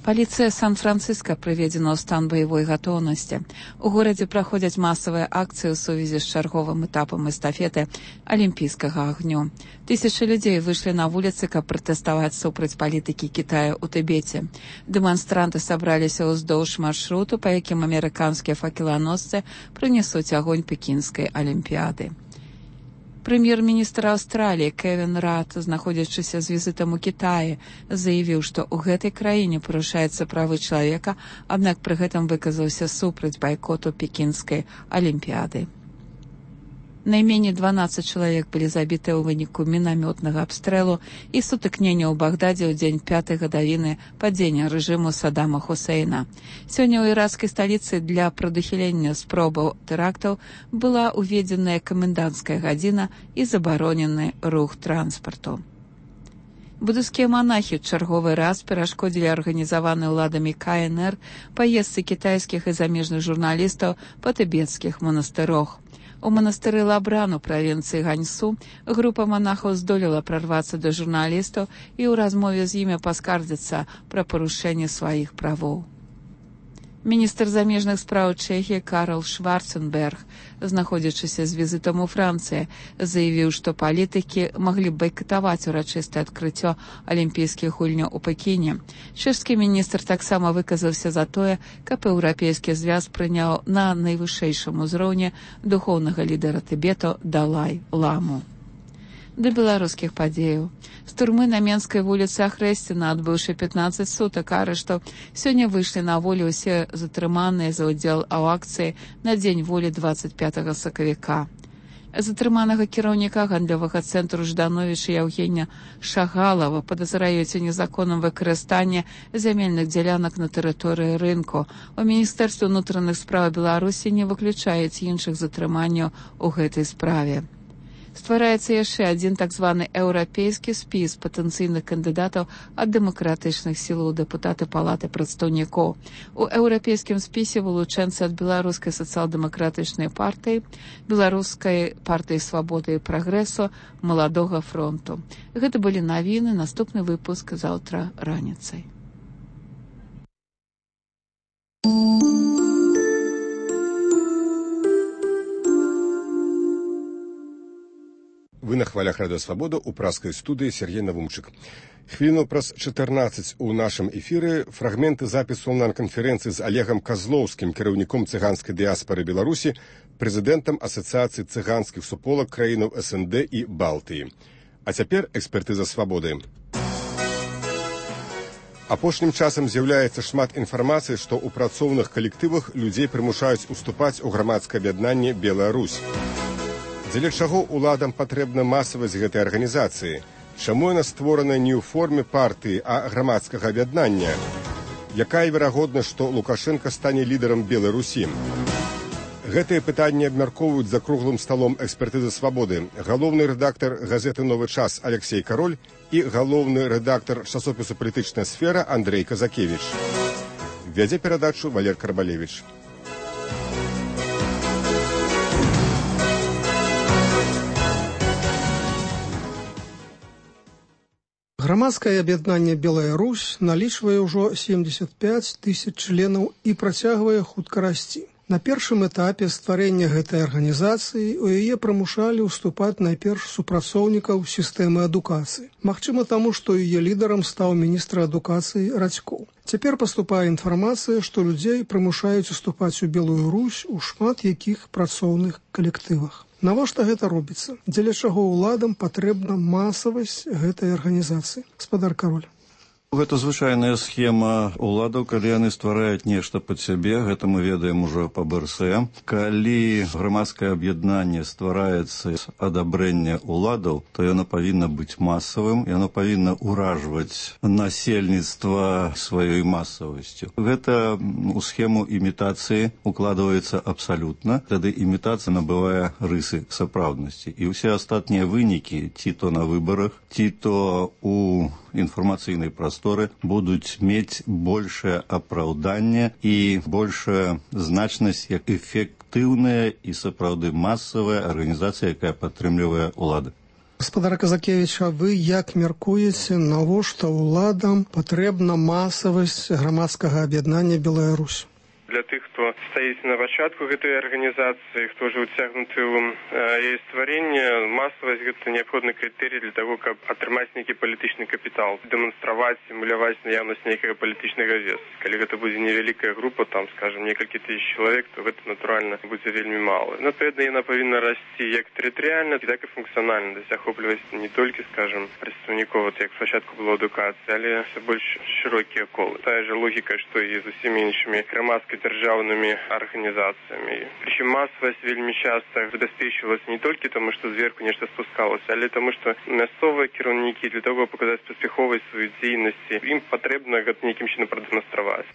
Паліцыя Сан-Францыска прыведзена ў стан баявой гатоўнасці. У горадзе праходзяць масавыя акцыі ў сувязі з чарговым этапам эстафеты алімпійскага агню. Тысячы людзей выйшлі на вуліцы, каб пратэставаць супраць палітыкі Кітая ў Тыбеце. Дэманстранты сабраліся ўздоўж маршруту, па якім амерыканскія факеланосцы прынясуць агонь пекінскай алімпіяды. Прэм'ер-міністр Аўстраліі Кевін Рад, знаходзячыся з візітам у Кітаі, заявіў, што ў гэтай краіне парушаюцца правы чалавека, аднак пры гэтым выказаўся супраць байкоту пекінскай алімпіяды. Найменей 12 чалавек былі забітыя ў выніку мінамётнага абстрэлу і сутыкнення ў Багдадзе ў дзень 5-й гадавіны падзення рэжыму Саддама Хусейна. Сёння ў іракскай сталіцы для прадухілення спробаў тэрактаў была ўведзеная каменданцкая гадзіна і забаронены рух транспарту. Будыйскія манахі ў чарговы раз перашкодзілі арганізаванай уладамі КНР паездцы кітайскіх і замежных журналістаў па тыбецкіх манастырох. У манастыры Лабран у правінцыі Ганьсу група манахаў здолела прарвацца да журналістаў і ў размове з імі паскардзіцца пра парушэнне сваіх правоў. Міністр замежных спраў Чэхіі Карл Шварценберг, знаходзячыся з візітам у Францыі, заявіў, што палітыкі маглі байкатаваць урачыстае адкрыццё алімпійскіх гульняў у Пекіне. Чэшскі міністр таксама выказаўся за тое, каб еўрапейскі звяз прыняў на найвышэйшым узроўні духоўнага лідара Тыбету Далай-ламу. Да беларускіх падзеяў. З турмы на Менскай вуліцы Ахрэсціна, адбыўшы 15 сутак арыштаў, сёння выйшлі на волю ўсе затрыманыя за ўдзел у акцыі на дзень волі 25 сакавіка. Затрыманага кіраўніка гандлёвага цэнтру Ждановіча Яўгеня Шагалава падазраюць у незаконным выкарыстанні зямельных дзялянак на тэрыторыі рынку. У Міністэрстве ўнутраных спраў Беларусі не выключаюць іншых затрыманняў у гэтай справе. Ствараецца яшчэ адзін так званы еўрапейскі спіс патэнцыйных кандыдатаў ад дэмакратычных сілаў дэпутаты палаты прадстаўнікоў. У еўрапейскім спісе вылучэнцы ад беларускай сацыял-дэмакратычнай партыі, беларускай партыі свабоды і прагрэсу, маладога фронту. Гэта былі навіны, наступны выпуск заўтра раніцай.
Вы на хвалях Радыё Свабода ў праскай студыі Сергей Навумчык. Хвіліну праз 14 у нашым эфіры фрагменты запісу онлайн-канферэнцыі з Олегам Козловскім, кіраўніком цыганскай дыяспары Беларусі, прэзідэнтам Асацыяцыі цыганскіх суполак краінаў СНД і Балтыі. А цяпер экспертыза свабоды. Апошнім часам з'яўляецца шмат інфармацыі, што ў працоўных калектывах людзей прымушаюць уступаць у грамадскае аб'яднанне «Белая Русь». Дзеля чаго уладам патрэбна масавасць гэтай арганізацыі? Чаму яна створана не ў форме партыі, а грамадскага аб'яднання? Якая верагоднасць, што Лукашенка стане лідарам Белай Русі? Гэтыя пытанні абмяркоўваюць за круглым сталом экспертызы свабоды галоўны рэдактар газеты «Новы час» Алексей Кароль і галоўны рэдактар часопісу «Палітычная сфера» Андрей Казакевіч. Вядзе перадачу Валер Карбалевіч.
Грамадскае аб'яднанне «Белая Русь» налічвае ўжо 75 тысяч членаў і працягвае хутка расці. На першым этапе стварэння гэтай арганізацыі у яе прымушалі ўступаць найперш супрацоўнікаў сістэмы адукацыі. Магчыма таму, што яе лідарам стаў міністр адукацыі Радзькоў. Цяпер паступае інфармацыя, што людзей прымушаюць уступаць у Белую Русь у шмат якіх працоўных калектывах. Навошта гэта робіцца? Дзеля чаго ўладам патрэбна масавасць гэтай арганізацыі? Гаспадар Кароль.
Гэта звычайная схема уладаў, калі яны ствараюць нешта пад сябе, гэта мы ведаем ужо па БРС. Калі грамадскае аб'яднанне ствараецца з адабрэння уладаў, то яно павінна быць масавым, яно павінна ўражваць насельніцтва сваёй масавасцю. Гэта у схему імітацыі укладваецца абсалютна, тады імітацыя набывае рысы сапраўднасці. І ўсе астатнія вынікі, ці то на выбарах, ці то у інфармацыйнай прасторы, будуць мець большае апраўданне і большая значнасць як эфектыўная і сапраўды масавая арганізацыя, якая падтрымлівае ўлады.
Гаспадар Казакевіч, а вы як мяркуеце, навошта ўладам патрэбна масавасць грамадскага аб'яднання Беларусь?
Для тых, хто стаіць на пачатку гэтай арганізацыі, хто ўжо ўцягнуты ў яе стварэнне, масавасць гэта неабходны крытэрый для таго, каб атрымаць нейкі палітычны капітал, дэманстраваць, сімуляваць наяўнасць нейкага палітычнага весу. Калі гэта будзе невялікая група, там, скажем, некалькі тысяч чалавек, то гэта, натуральна, будзе вельмі мала. Адпаведна, яна павінна расці як тэрытарыяльна, так і функцыянальна, то есть ахопліваць не толькі, скажем, прадстаўнікоў, як спачатку было адукацыі, але все больш шырокія колы. Тая же логіка, што і з усімі іншымі грамадскай державными организациями. Причем массовость вельми часто забезпечивалась не только тому, что сверху нечто спускалось, але тому, что мясцовые кіраўнікі для того, показать паспяховасць сваёй дзейнасці, ім патрэбна гэта нейкім чынам прадэманстраваць.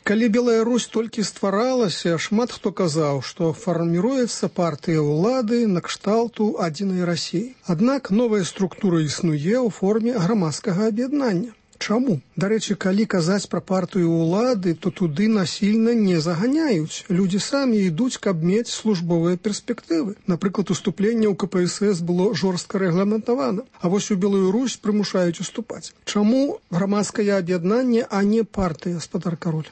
Калі Белая Русь толькі стваралася, шмат хто казаў, што фарміруецца партыя ўлады на кшталту адзінай Расіі. Аднак новая структура існуе ў форме грамадскага аб'яднання. Чаму? Дарэчы, калі казаць пра партыю ўлады, то туды насільна не заганяюць. Людзі самі ідуць, каб мець службовыя перспектывы. Напрыклад, уступленне ў КПСС было жорстка рэгламентавана, а вось у Белую Русь прымушаюць уступаць. Чаму грамадскае аб'яднанне, а не партыя, гаспадар Кароль?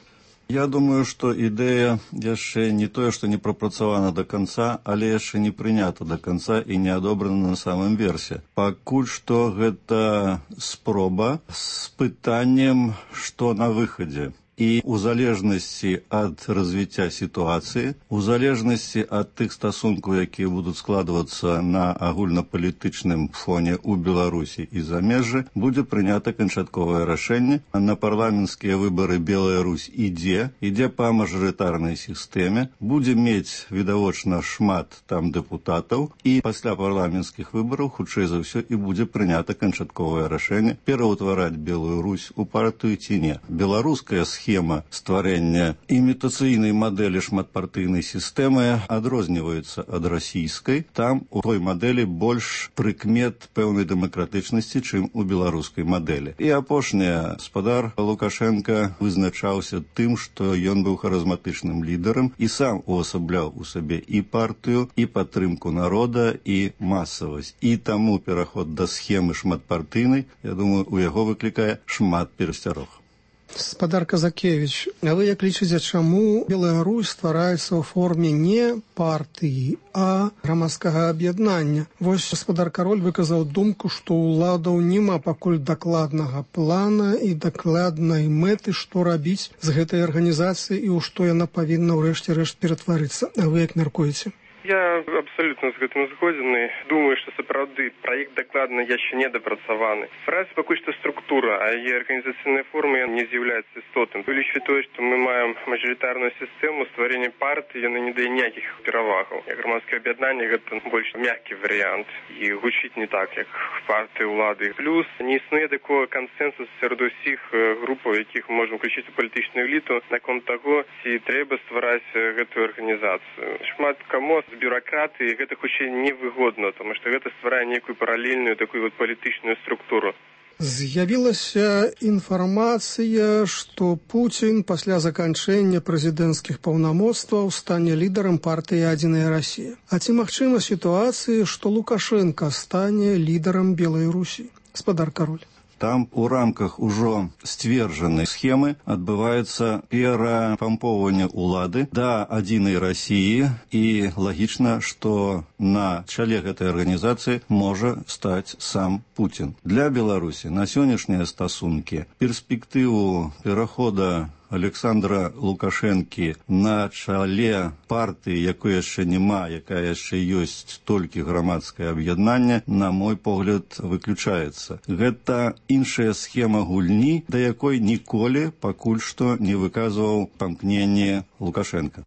Я думаю, што ідэя яшчэ не тое, што не прапрацавана да канца, але яшчэ не прынята да канца і не адобрана на самым версе. Пакуль што гэта спроба з пытаннем, што на выхадзе. І у залежнасці ад развіцця сітуацыі, у залежнасці ад тых стасункаў, якія будуць складвацца на агульнапалітычным фоне ў Беларусі і замежжы, будзе прынята канчатковае рашэнне. На парламенцкія выбары Белая Русь ідзе па мажарытарнай сістэме, будзе мець відавочна шмат там дэпутатаў, і пасля парламенцкіх выбараў, хутчэй за ўсё, і будзе прынята канчатковае рашэнне пераўтвараць Белую Русь у партыю ці не. Беларуская схема стварэння імітацыйнай мадэлі шматпартыйнай сістэмы адрозніваецца ад расійскай. Там у той мадэлі больш прыкмет пэўнай дэмакратычнасці, чым у беларускай мадэлі. І апошняе, гаспадар Лукашенка вызначаўся тым, што ён быў харызматычным лідарам і сам увасабляў у сабе і партыю, і падтрымку народа, і масавасць. І таму пераход да схемы шматпартыйнай, я думаю, у яго выклікае шмат перасцярог.
Гаспадар Казакевіч, а вы як лічыце, чаму Белая Русь ствараецца ў форме не партыі, а грамадскага аб'яднання? Вось гаспадар Кароль выказаў думку, што ўладаў няма пакуль дакладнага плана і дакладнай мэты, што рабіць з гэтай арганізацыяй і ў што яна павінна ўрэшце рэшт ператварыцца. А вы як мяркуеце?
Я абсолютно з гэтым згодзены. Думаю, што сапраўды праект дакладна яшчэ не дапрацаваны. Ствараецца пакуль што структура, а яе арганізацыйная форма не з'яўляецца істотным. Улічваць тое, што мы маем мажарытарную сістэму, стварэнне партыі, яно не дае ніякіх перавагаў. Грамадскае аб'яднанне гэта больш мяккі варыянт і гучыць не так, як партыі ўлады. Плюс не існуе такого кансэнсусу сярод усіх групаў, якіх мы можам уключыць у палітычную эліту, наконт таго, ці трэба ствараць гэтую арганізацыю. Шмат каму з бюракратыі гэта хутчэй невыгодна, тому што гэта стварае нейкую паралельную такую вот палітычную структуру.
З'явілася інфармацыя, што Пуцін пасля заканчэння прэзідэнцкіх паўнамоцтваў стане лідарам партыі «Адзіная Расія». А ці магчыма сітуацыя, што Лукашенка стане лідарам Белай Русі? Гаспадар Кароль.
Там у рамках ужо сцверджанай схемы адбываецца перапампоўванне ўлады да адзінай Расіі, і лагічна, што на чале гэтай арганізацыі можа стаць сам Пуцін. Для Беларусі на сённяшнія стасункі перспектыву перахода Александра Лукашэнкі на чале партыі, якой яшчэ няма, якая яшчэ ёсць толькі грамадскае аб'яднанне, на мой погляд, выключаецца. Гэта іншая схема гульні, да якой ніколі пакуль што не выказваў памкненне Лукашенко.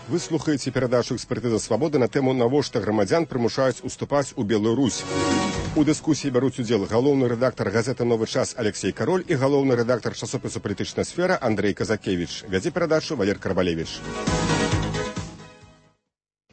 Вы слухаеце перадачу «Экспертыза свабоды» на тэму «Навошта грамадзян прымушаюць уступаць у Беларусь». У дыскусіі бяруць удзел галоўны рэдактар газеты «Новы час» Алексей Кароль і галоўны рэдактар часопісу «Палітычная сфера» Андрей Казакевич. Вядзе перадачу Валер Карбалевич.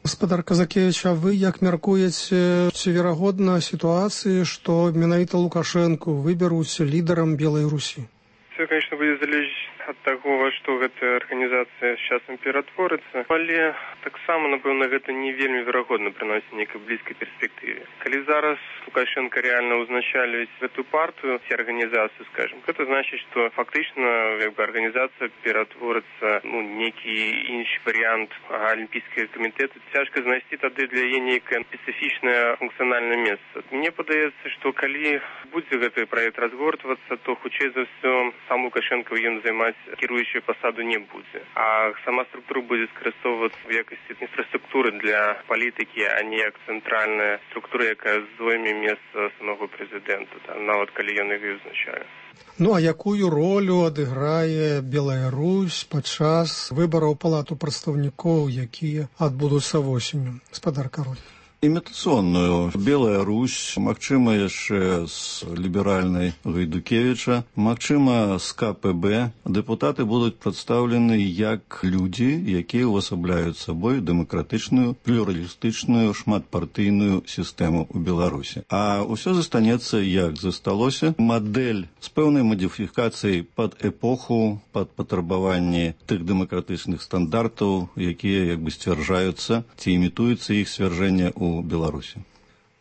Гаспадар Казакевич, а вы як мяркуеце, ці верагодна сітуацыі, што менавіта Лукашэнку выберуць лідарам Белай Русі?
Все, конечно, будет залежить от того, во что эта организация с часом ператворится, але таксама, напэўна, гэта не вельмі верагодна прыносіць нейкай блізкай перспектыве. Калі зараз Лукашенко реально узначаліць эту партию, ці организацию, скажем, это значит, что фактично организация ператворится, некий інший вариант Олимпийского комитета. Цяжка знайсці тады для яе нейкае специфичное функциональное место. Мне падаецца, что калі будзе гэты проект разгортвацца, то хутчэй за все сам Лукашенко ім займаць кіруючую посаду не будзе. А сама структура будзе скарыстоўвацца в якасці інфраструктуры для палітыкі, а не як цэнтральная структура, якая зойме месца самого прэзідэнта, нават калі ён яго узначае.
Ну а якую ролю адыграе Белая Русь падчас выбараў палату прадстаўнікоў, якія адбудуцца восенню? Гаспадар Кароль.
Імітацыйную. Белая Русь, магчыма, яшчэ з ліберальнай Гайдукевіча, магчыма, з КПБ. Дэпутаты будуць прадстаўлены як людзі, якія ўвасабляюць сабой дэмакратычную, плюралістычную, шматпартыйную сістэму ў Беларусі. А ўсё застанецца, як засталося, мадэль з пэўнай мадыфікацыяй пад эпоху, пад патрабаванні тых дэмакратычных стандартаў, якія як бы сцвярджаюцца, ці імітуецца іх сцвярджэнне ў Беларусі.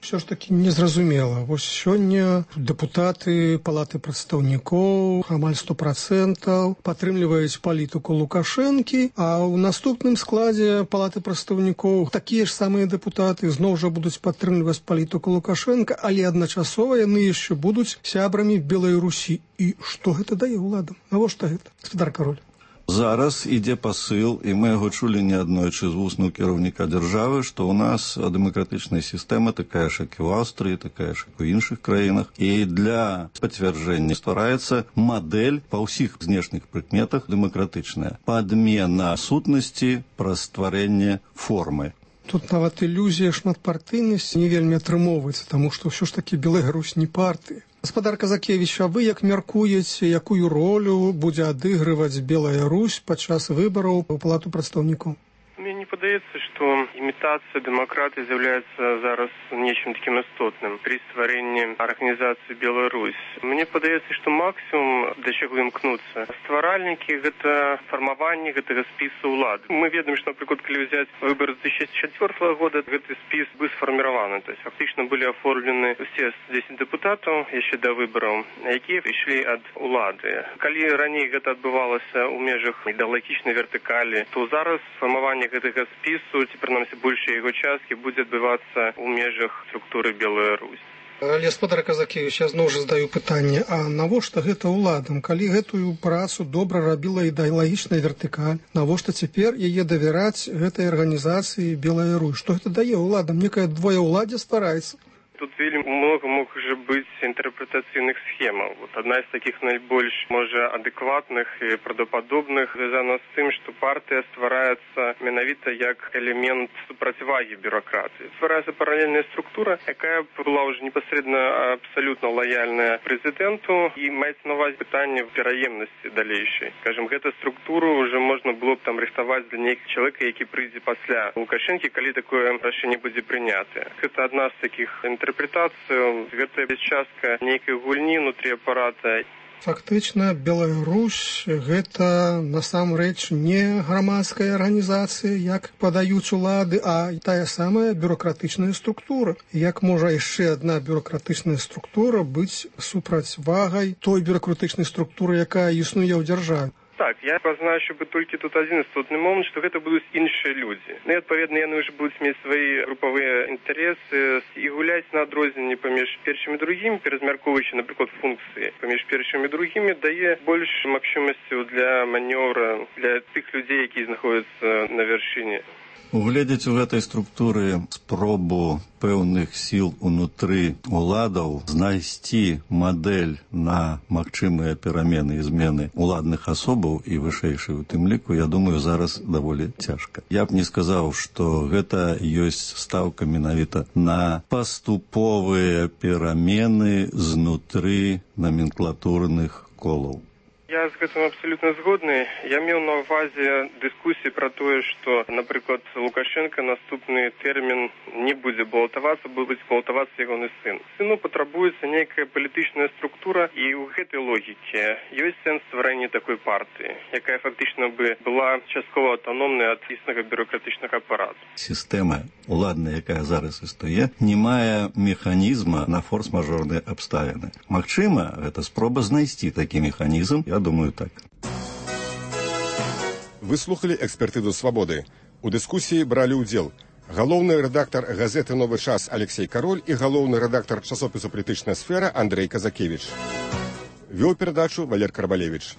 Все ж таки незразумела. Вось сёння дэпутаты палаты прадстаўнікоў амаль 100% падтрымліваюць палітыку Лукашэнкі, а ў наступным складзе палаты прадстаўнікоў такія ж самыя дэпутаты зноў жа будуць падтрымліваць палітыку Лукашэнка, але адначасова яны яшчэ будуць сябрамі Белай Русі. І што гэта дае ўладам? Навошта гэта? Гаспадар Кароль.
Зараз ідзе пасыл, і мы яго чулі неаднойчы з вуснаў кіраўніка дзяржавы, што ў нас дэмакратычная сістэма такая ж, як і ў Аўстрыі, такая ж, як у іншых краінах. І для пацвярджэння ствараецца мадэль па ўсіх знешніх прыкметах дэмакратычная. Падмена сутнасці праз стварэнне формы.
Тут нават ілюзія шматпартыйнасці не вельмі атрымоўваецца, таму што ўсё ж такі Белая Русь не партыя. Гаспадар Казакевич, а вы як мяркуеце, якую ролю будзе адыгрываць Белая Русь падчас выбараў у палату прадстаўнікоў?
Мне не падаецца, што імітацыя дэмакратыі з'яўляецца зараз нечым такім істотным при стварэнні арганізацыі Беларусь. Мне падаецца, што максімум да чаго імкнуцца стваральнікі гэта фармаванне гэтага спісу ўлады. Мы ведаем, што, напрыклад, калі ўзяць выбары 2004 года, гэты спіс быў сфарміраваны. То есть фактычна былі аформлены усе 10 дэпутатаў яшчэ да выбараў, якія ішлі ад улады. Калі раней гэта адбывалася ў межах ідэалагічнай вертыкалі, то зараз фармаванне гэтага спісу, ці прынамсі большая яго часткі, будзе адбывацца ў межах структуры Белая Русь.
Але, гаспадар Казакевич, я зноў жа задаю пытанне, а навошта гэта ўладам? Калі гэтую працу добра рабіла ідэалагічная вертыкаль, навошта цяпер яе давяраць гэтай арганізацыі Белая Русь? Што гэта дае ўладам? Некае двоеўладдзе ствараецца?
Тут вельмі много можа быць інтэрпрэтацыйных схемаў. Адна з такіх найбольш, можа, адэкватных і правдападобных звязана з тым, што партыя ствараецца менавіта як элемент супрацьвагі бюракратыі. Ствараецца паралельная структура, якая была ўжо непасрэдна абсалютна лаяльная прэзідэнту і маецца на ўвазе пытанне пераемнасці далейшай. Скажем, гэту структуру ўжо можна было б там рыхтаваць для нейкага чалавека, які прыйдзе пасля Лукашэнкі, калі такое рашэнне будзе прынятае. Гэта адна з такіх інтэрпрэтацыяў, гэта частка нейкай гульні внутрі апарата.
Фактычна, Белая Русь гэта насамрэч не грамадская арганізацыя, як падаюць улады, а тая самая бюракратычная структура. Як можа яшчэ адна бюракратычная структура быць супрацьвагай той бюракратычнай структуры, якая існуе ў дзяржаве?
так, я пазначу бы толькі тут адзін істотны момант, што гэта будуць іншыя людзі. Ну і адпаведна яны ўжо будуць мець свае групавыя інтарэсы і гуляць на адрозненні паміж першымі і другімі, перазмяркоўваючы, напрыклад, функцыі паміж першымі і другімі, дае больш магчымасцяў для манёвра для тых людзей, якія знаходзяцца на вяршыні.
Угледзець у гэтай структуры спробу пэўных сіл унутры уладаў знайсці мадэль на магчымыя перамены і змены уладных асобаў і вышэйшай у тым ліку, я думаю, зараз даволі цяжка. Я б не сказаў, што гэта ёсць стаўка менавіта на паступовыя перамены знутры номенклатурных колаў.
Я з гэтым абсалютна згодны. Я меў на ўвазе дыскусіі пра тое, што, напрыклад, Лукашенко наступны тэрмін не будзе балатавацца, будзе балатавацца ягоны сын. Сыну патрабуецца нейкая палітычная структура, і ў гэтай логіке ёсць сэнс стварэння такой партыі, якая фактычна бы была часткова аўтаномнай ад існага бюрократычнага апарату.
Сістэма уладная, якая зараз існуе, не мае механізма на форс-мажорныя абставіны. Магчыма, гэта спроба знайсці такі механізм, я думаю, так.
Вы слухали экспертызу «Свабоды». У дыскусіі бралі ўдзел галоўны рэдактар газеты «Новы час» Алексей Кароль і галоўны рэдактар часопісу «Палітычная сфера» Андрей Казакевич. Вёў перадачу Валер Карбалевич.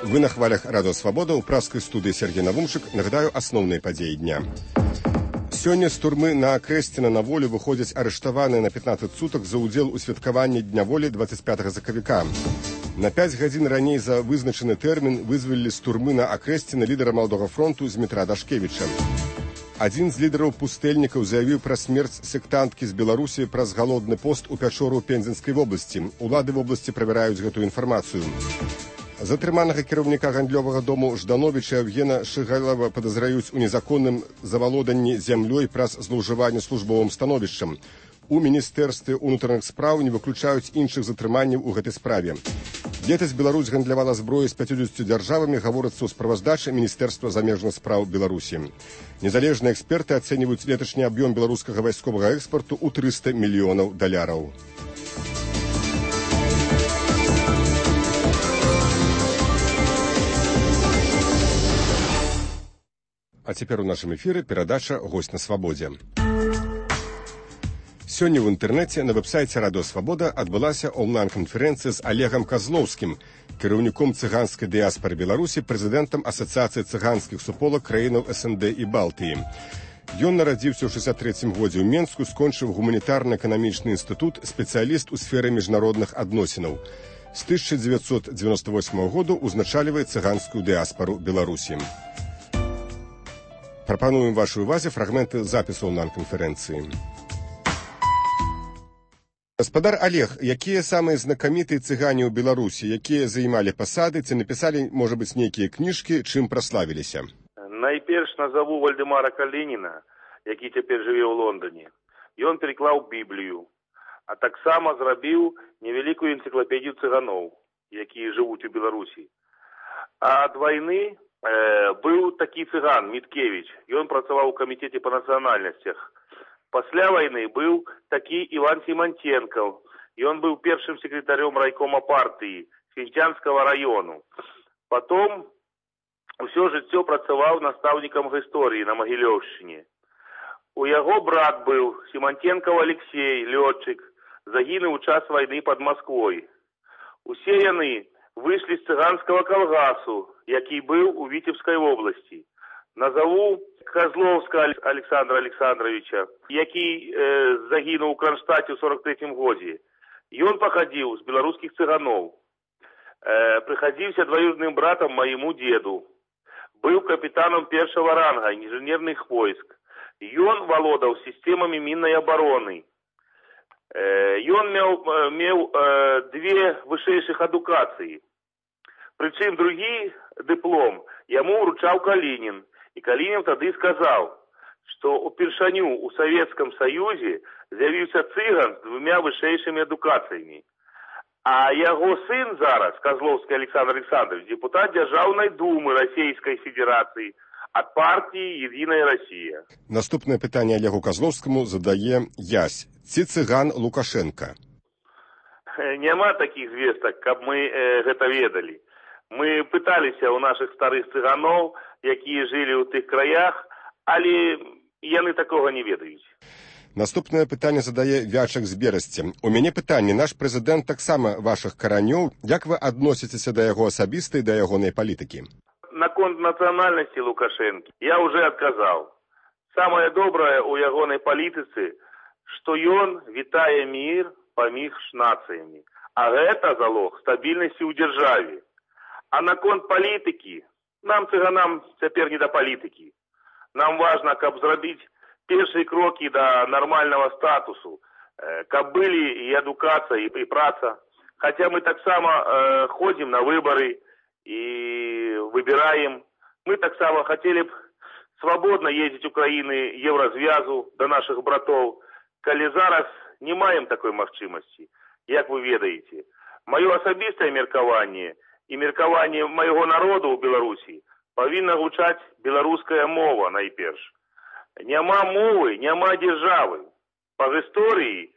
Вы на хвалях радио «Свобода» у праскай студыі Сергей Навумчык. Нагадаю асноўныя падзеі дня. Сёння з турмы на Акрэсціна на волю выходзяць арыштаваныя на 15 сутак за ўдзел у святкаванні Дня волі 25 сакавіка. На 5 гадзін раней за вызначаны тэрмін вызвалілі з турмы на Акрэсціна лідара Маладога фронту Змітра Дашкевіча. Адзін з лідараў пустэльнікаў заявіў пра смерць сектанткі з Беларусі праз галодны пост у пячору Пензенскай вобласці. Улады вобласці правяраюць гэтую інфармацыю. Затрыманага кіраўніка гандлёвага дому Ждановіча Евгена Шыгалова падазраюць у незаконным завалоданні зямлёй праз злоўжыванне службовым становішчам. У міністэрстве ўнутраных спраў не выключаюць іншых затрыманняў у гэтай справе. Летась Беларусь гандлявала зброю з 50 дзяржавамі, гаворыцца ў справаздачы Міністэрства замежных спраў Беларусі. Незалежныя эксперты ацэньваюць леташні аб'ём беларускага вайсковага экспарту ў 300 мільёнаў даляраў. А цяпер у нашым эфіры перадача «Госць на свабодзе». Сёння ў інтэрнэце на вэб-сайце «Радыё Свабода» адбылася онлайн-канферэнцыя з Олегам Козловскім, кіраўніком цыганскай дыяспары Беларусі, прэзідэнтам Асацыяцыі цыганскіх суполак краінаў СНД і Балтыі. Ён нарадзіўся ў 63-м годзе ў Менску, скончыў гуманітарна-эканамічны інстытут, спецыяліст у сферы міжнародных адносінаў. З 1998 году ўзначальвае цыганскую дыяспару Беларусі. Прапануем вашай увазе фрагменты запісу онлайн-канферэнцыі. Гаспадар Олег, якія самыя знакамітыя цыгане ў Беларусі, якія займалі пасады, ці напісалі, можа быць, нейкія кніжкі, чым праславіліся?
Найперш назову Вальдемара Калініна, які цяпер жыве ў Лондоне. Ён пераклаў Біблію, а таксама зрабіў невялікую энцыклапедію цыганоў, якія жывуць у Беларусі. А ад вайны быў такі цыган Міткевіч, ён працаваў у камітэце па нацыянальнасцях. Пасля вайны быў такі Іван Сіманценкаў, ён быў першым секретарём райкома партыі Сінцянскага раёну. Потом усё жыццё працаваў настаўнікам гісторыі на Магілёўшчыне. У яго брат быў Сіманценкаў Алексей, лётчык, загінуў у час вайны пад Масквой. Усе яны выйшлі з цыганскага калгасу, які быў у Віцебскай вобласці. Назову Козловскага Александра Александровича, які загінуў у Кронштадце ў 43-м годзе. Ён пахадзіў з беларускіх цыганоў. Прыхадзіўся двоюродным братам маяму деду. Быў капітанам першага ранга інжынерных войск. Ён валодаў сістэмамі міннай абароны. Ён меў две вышэйшых адукацыі. Прычым другі дыплом яму ўручаў Калінін. І Калінін тады сказаў, што упершыню ў Савецкам Саюзе з'явіўся цыган з двумя вышэйшымі адукацыямі. А яго сын зараз, Козловскі Александр Александрович, депутат Дзяржаўнай думы Расійскай Федэрацыі, от партии «Единая Россия».
Наступное питание Олегу Козловскому задае Ясь. Ці цыган Лукашенко?
Нема таких звестак, каб мы гэта ведали. Мы пыталіся у наших старых цыганоў, якія жылі ў тых краях, але яны такога не ведаюць.
Наступное пытанне задае Вячак з Берасці. У мяне пытанне. Наш прэзідэнт таксама вашых каранёў. Як вы адносіцеся да яго асабіста і да ягонай палітыкі?
Наконт нацыянальнасці Лукашэнкі я уже адказаў. Самае добрае ў ягонай палітыцы, што ён вітае мір паміж нацыямі. А гэта залог стабільнасці ў дзяржаве. А наконт палітыкі, нам, цыганам, цяпер не да палітыкі. Нам важна, каб зрабіць першыя крокі да нармальнага статусу, каб былі і адукацыя, і праца. Хаця мы таксама ходзім на выбары і выбіраем. Мы таксама хацелі б свабодна ездзіць у краіны Еўразвязу да нашых братоў, калі зараз не маем такой магчымасці, як вы ведаеце. Маё асабістае меркаванне і меркаванне майго народу ў Беларусі павінна гучаць беларуская мова найперш. Няма мовы, няма дзяржавы. Па гісторыі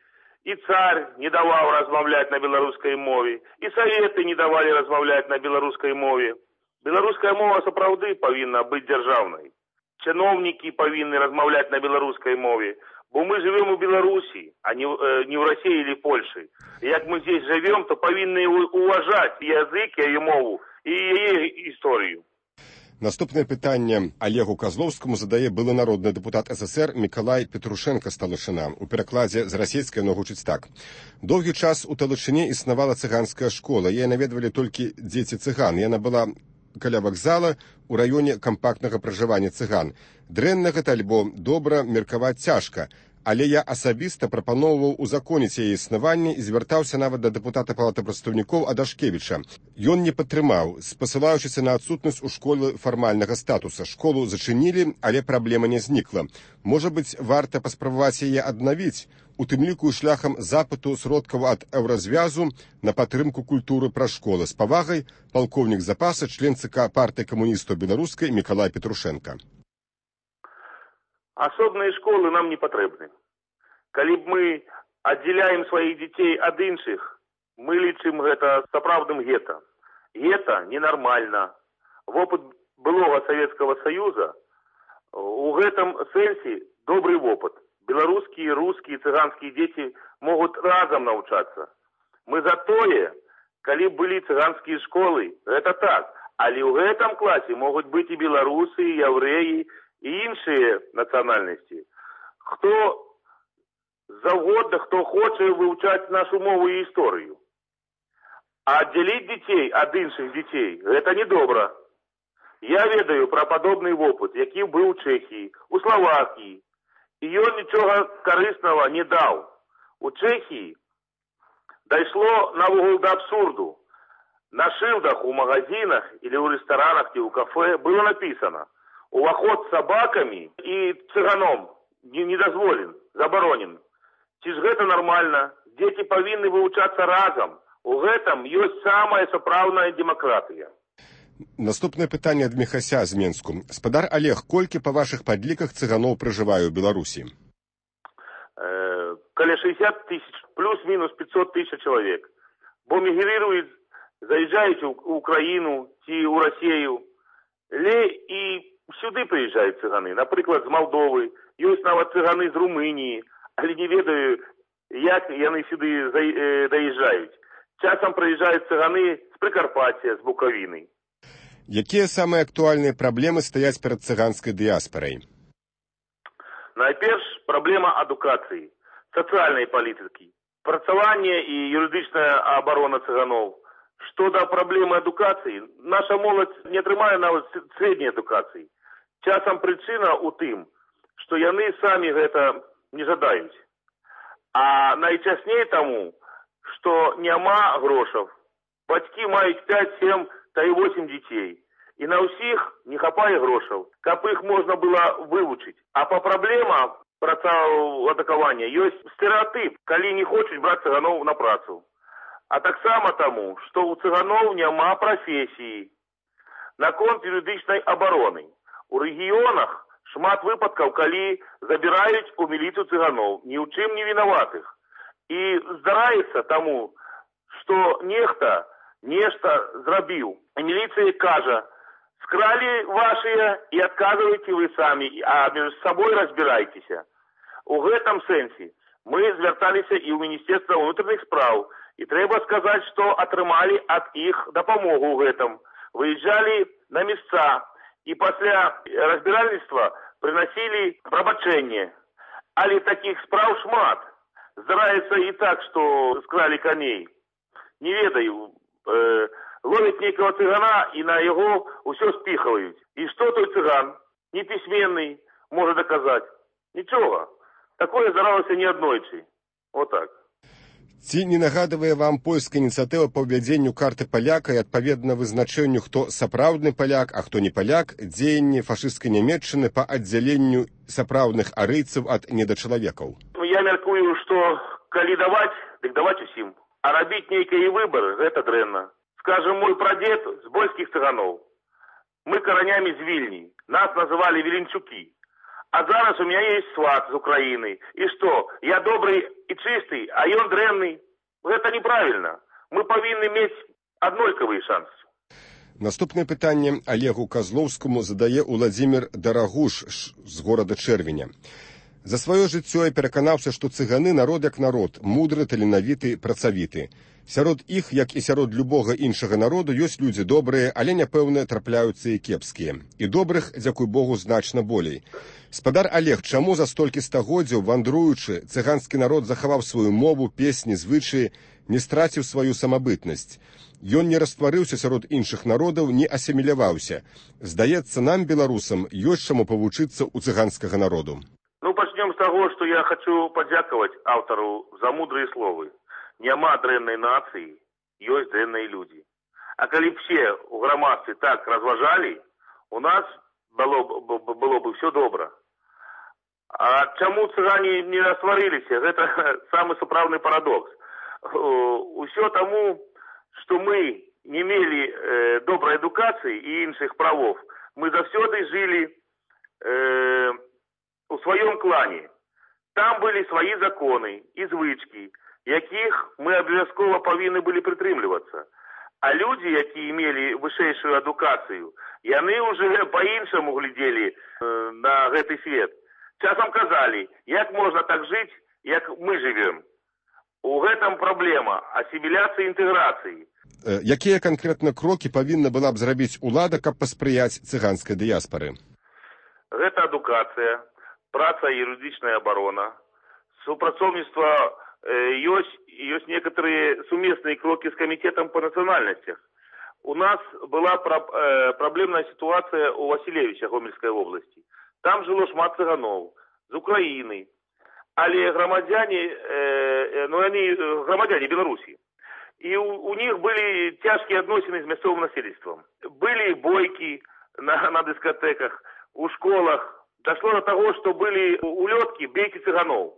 і царь не даваў размаўляць на беларускай мове, і саветы не давалі размаўляць на беларускай мове. Беларуская мова сапраўды павінна быць дзяржаўнай. Чыноўнікі павінны размаўляць на беларускай мове, бо мы живем у Беларусі, а не в России или Польше. Як мы здесь живем, то павінны уважать язык, яе мову і яе історыю.
Наступное пытанне Олегу Козловскому задае былы народны депутат СССР Миколай Петрушенко з Талышына. У перакладзе з расійскай яно гучыць так. Доўгі час у Талышыне існавала цыганская школа. Яе наведвалі толькі дзеці цыган. Яна была каля вакзала у раёне кампактнага пражывання цыган. Дрэнна гэта альбо добра меркаваць цяжка, але я асабіста прапаноўваў узаконіць яе існаванне і звяртаўся нават да дэпутата палаты прадстаўнікоў Адашкевіча. Ён не падтрымаў, спасылаючыся на адсутнасць у школы фармальнага статуса. Школу зачынілі, але праблема не знікла. Можа быць, варта паспрабаваць яе аднавіць, у тым ліку шляхам запыту сродкаў ад Еўразвязу на падтрымку культуры пра школы. З павагай, палкоўнік запаса, член ЦК партыі камуністаў беларускай Миколай Петрушенко.
Асобныя школы нам не патрэбны. Калі б мы аддзяляем сваіх дзяцей ад іншых, мы лічым гэта сапраўдным гета. Гета ненармальна. Вопыт былога Савецкага Саюза у гэтым сэнсе добры вопыт. Беларускія, рускія, цыганскія дзеці могуць разам навучацца. Мы за тое, калі былі цыганскія школы, гэта так. Але ў гэтым класе могуць быць і беларусы, і яўрэі, і іншыя нацыянальнасці. Хто заўгодна, хто хоча вывучаць нашу мову і гісторыю. А аддзяліць дзяцей ад іншых дзяцей гэта недобра. Я ведаю пра падобны вопыт, які быў у Чэхіі, у Славакіі. І ён нічога карыснага не даў. У Чэхіі дайшло навогул да абсурду. На шылдах у магазинах или у ресторанах, или у кафе было написано: уваход с собаками и цыганом не дозволен, заборонен. Ці ж гэта нормально? Дети павінны вывучацца разом. У гэтым ёсць самая сапраўдная демократія.
Наступное пытанне ад Михася з Менску. Спадар Олег, колькі па вашых падліках цыганоў пражывае ў Беларусі?
Каля 60 тысяч, плюс-минус 500 тысяч человек. Бо мігрыруюць, заезжаюць у Украіну ці ў Расію. І сюды прыязджаюць цыганы. Напрыклад, з Малдовы. Ёсць нават цыганы з Румыніі. Але не ведаю, як яны сюды даязджаюць. Часам прыязджаюць цыганы з Прыкарпаття, з Буковіны.
Якія самыя актуальныя праблемы стаяць перад цыганскай дыяспарай?
Найперш, праблема адукацыі, сацыяльнай палітыкі, працаванне і юрыдычная абарона цыганоў. Што да праблемы адукацыі, наша моладзь не атрымае нават срэдняй адукацыі. Часам прычына ў тым, што яны самі гэта не жадаюць. А найчасней таму, што няма грошаў. Бацькі маюць 5, 7, та і 8 дзяцей. І на ўсіх не хапае грошаў, каб іх можна было вывучыць. А па праблемах працаўладкавання ёсць стэрэатып, калі не хочуць браць цыганоў на працу. А таксама таму, што ў цыганоў няма прафесіі. Наконт юрыдычнай абароны. У рэгіёнах шмат выпадкаў, калі забіраюць у міліцыю цыганоў, ні ў чым не вінаватых. І здараецца таму, што нехта нешта зрабіў. І міліцыя кажа, скралі вашыя і адказвайце вы самі, а між сабой разбірайцеся. У гэтым сэнсе мы звярталіся і ў Міністэрства ўнутраных спраў, і трэба сказаць, што атрымалі ад іх дапамогу ў гэтым. Выязджалі на месца, і пасля разбіральніцтва прыносілі прабачэнне. Але такіх спраў шмат. Здараецца і так, што скралі коней. Не ведаю, ловяць нейкага цыгана і на яго ўсё спіхваюць. І што той цыган, непісьменны, можа даказаць? Нічога. Такое здаралася не аднойчы. Вот так.
Ці не нагадывае вам польская ініцыятыва па ўвядзенню карты паляка і адпаведна вызначэнню, хто сапраўдны паляк, а хто не паляк, дзеянні фашысцкай Нямецчыны па аддзяленню сапраўдных арыйцаў ад недачалавекаў?
Я мяркую, што калі даваць, дык даваць усім. А рабіць нейкія выбары, гэта дрэнна. Скажем, мой прадзед з больскіх цыганоў. Мы каранямі з Вільні. Нас называлі Віленчукі. А зараз у меня есть сват з Украины. И что, я добрый и чистый, а ён дрэнный? Это неправильно. Мы павінны мець аднолькавыя шансы.
Наступнае пытанне Олегу Козловскому задае Уладзімір Дарагуш з горада Чэрвеня. За сваё жыццё я пераканаўся, што цыганы народ як народ, мудры, таленавіты, працавіты. Сярод іх, як і сярод любога іншага народу, ёсць людзі добрыя, але, няпэўна, трапляюцца і кепскія. І добрых, дзякуй Богу, значна болей. Спадар Олег, чаму за столькі стагоддзяў, вандруючы, цыганскі народ захаваў сваю мову, песні, звычаі, не страціў сваю самабытнасць? Ён не растварыўся сярод іншых народаў, не асіміляваўся. Здаецца, нам, беларусам, ёсць чаму павучыцца ў цыганскага народу.
Ну, пачнём з таго, што я хачу падзякаваць аўтару за мудрыя словы. Няма дрэннай нацыі, ёсць дрэнныя людзі. А калі б все ў грамадстве так разважалі, у нас было бы все добра. А чаму цыгане не растварыліся? Гэта самы сапраўдны парадокс. Усё таму, што мы не мелі добрай адукацыі і іншых правоў. Мы заўсёды жылі у сваём клане. Там былі свае законы і звычкі, якіх мы абавязкова павінны былі прытрымлівацца. А людзі, якія мелі вышэйшую адукацыю, яны ўжо па-іншаму глядзелі на гэты свет. Часам казалі, як можна так жыць, як мы жывем. У гэтым праблема асіміляцыі і інтэграцыі.
Якія канкрэтна крокі павінна была б зрабіць улада, каб паспрыяць цыганскай дыяспары?
Гэта адукацыя, праца і юрыдычная абарона, супрацоўніцтва. Ёсць некоторые сумесныя крокі з камітетам па нацыянальнасцях. У нас была праблемная сітуацыя ў Васілевіча Гомельскай вобласці. Там жыло шмат цыганоў з Украіны, але грамадзяне Беларусі. І у них былі цяжкія адносіны з мясцовым насельніцтвам. Былі бойкі на дыскатэках, у школах. Дашло до таго, што былі улёткі бейкі цыганоў.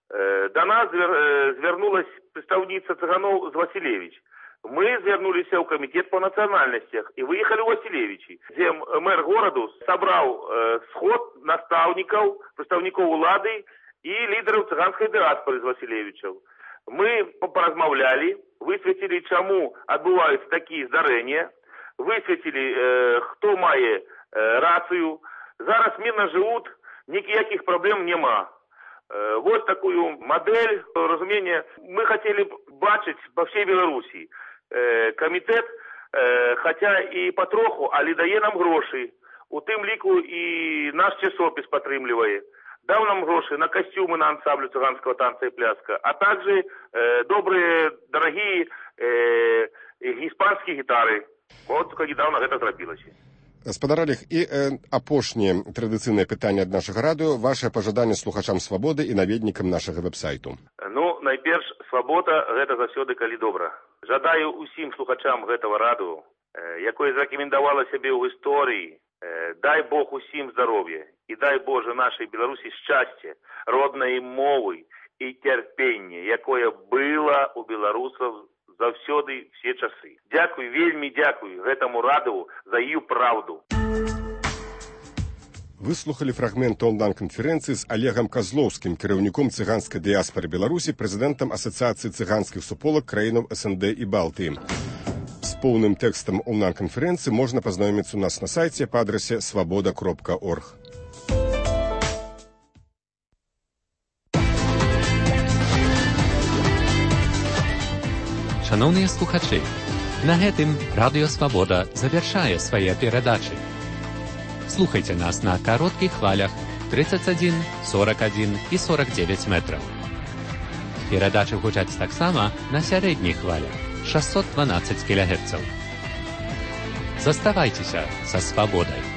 До нас звярнулась прадстаўніца цыганоў з Васілевіч. Мы звярнуліся ў камітет па нацыянальнасцях і выехалі ў Васілевічі, дзе мэр гораду сабраў сход настаўнікаў, прадстаўнікоў улады і лідараў цыганскай дыаспары з Васілевічаў. Мы паразмаўлялі, высветлілі, чаму адбываюцца такія здарэння, высветлілі, хто мае рацыю. Зараз мирно жывуць, ніякіх праблем няма. Вот такую модель разумения мы хотели бачить по всей Беларуси. Комитет, хотя и потроху, але дае нам гроши. У тым ліку и наш часопіс падтрымлівае. Даў нам гроши на костюмы на ансамблю цыганского танца и пляска, а также добрые, дорогие испанские гитары. Вот только недавно это зрабілася.
Спадар Олег, і апошняе традыцыйнае пытанне ад нашага радыё, ваше пажаданне слухачам свабоды і наведнікам нашага вэб-сайту.
Ну, найперш, свабода гэта заўсёды калі добра. Жадаю усім слухачам гэтага радыё, якое зарэкамендавала сябе ў гісторыі, дай Бог усім здароўя і дай Божа нашай Беларусі шчасце, роднай мовы і цярпенне, якое было у беларусаў заўсёды все часы. Дзякуй, вельмі дзякуй гэтаму радыю за ію праўду.
Выслухалі фрагмент онлайн-канферэнцыі з Олегам Козловскім, кіраўніком цыганскай дыяспары Беларусі, прэзідэнтам Асацыяцыі цыганскіх суполак краінаў СНД і Балтыі. З поўным тэкстам онлайн-канферэнцыі можна пазнаёміцца у нас на сайце па адрасе свабода.орг.
Шановныя слухачы, на гэтым Радыё Свабода завяршае свае перадачы. Слухайце нас на кароткіх хвалях 31, 41 і 49 метраў. Перадачы гучаць таксама на сярэдніх хвалях 612 кГц. Заставайцеся са свабодай.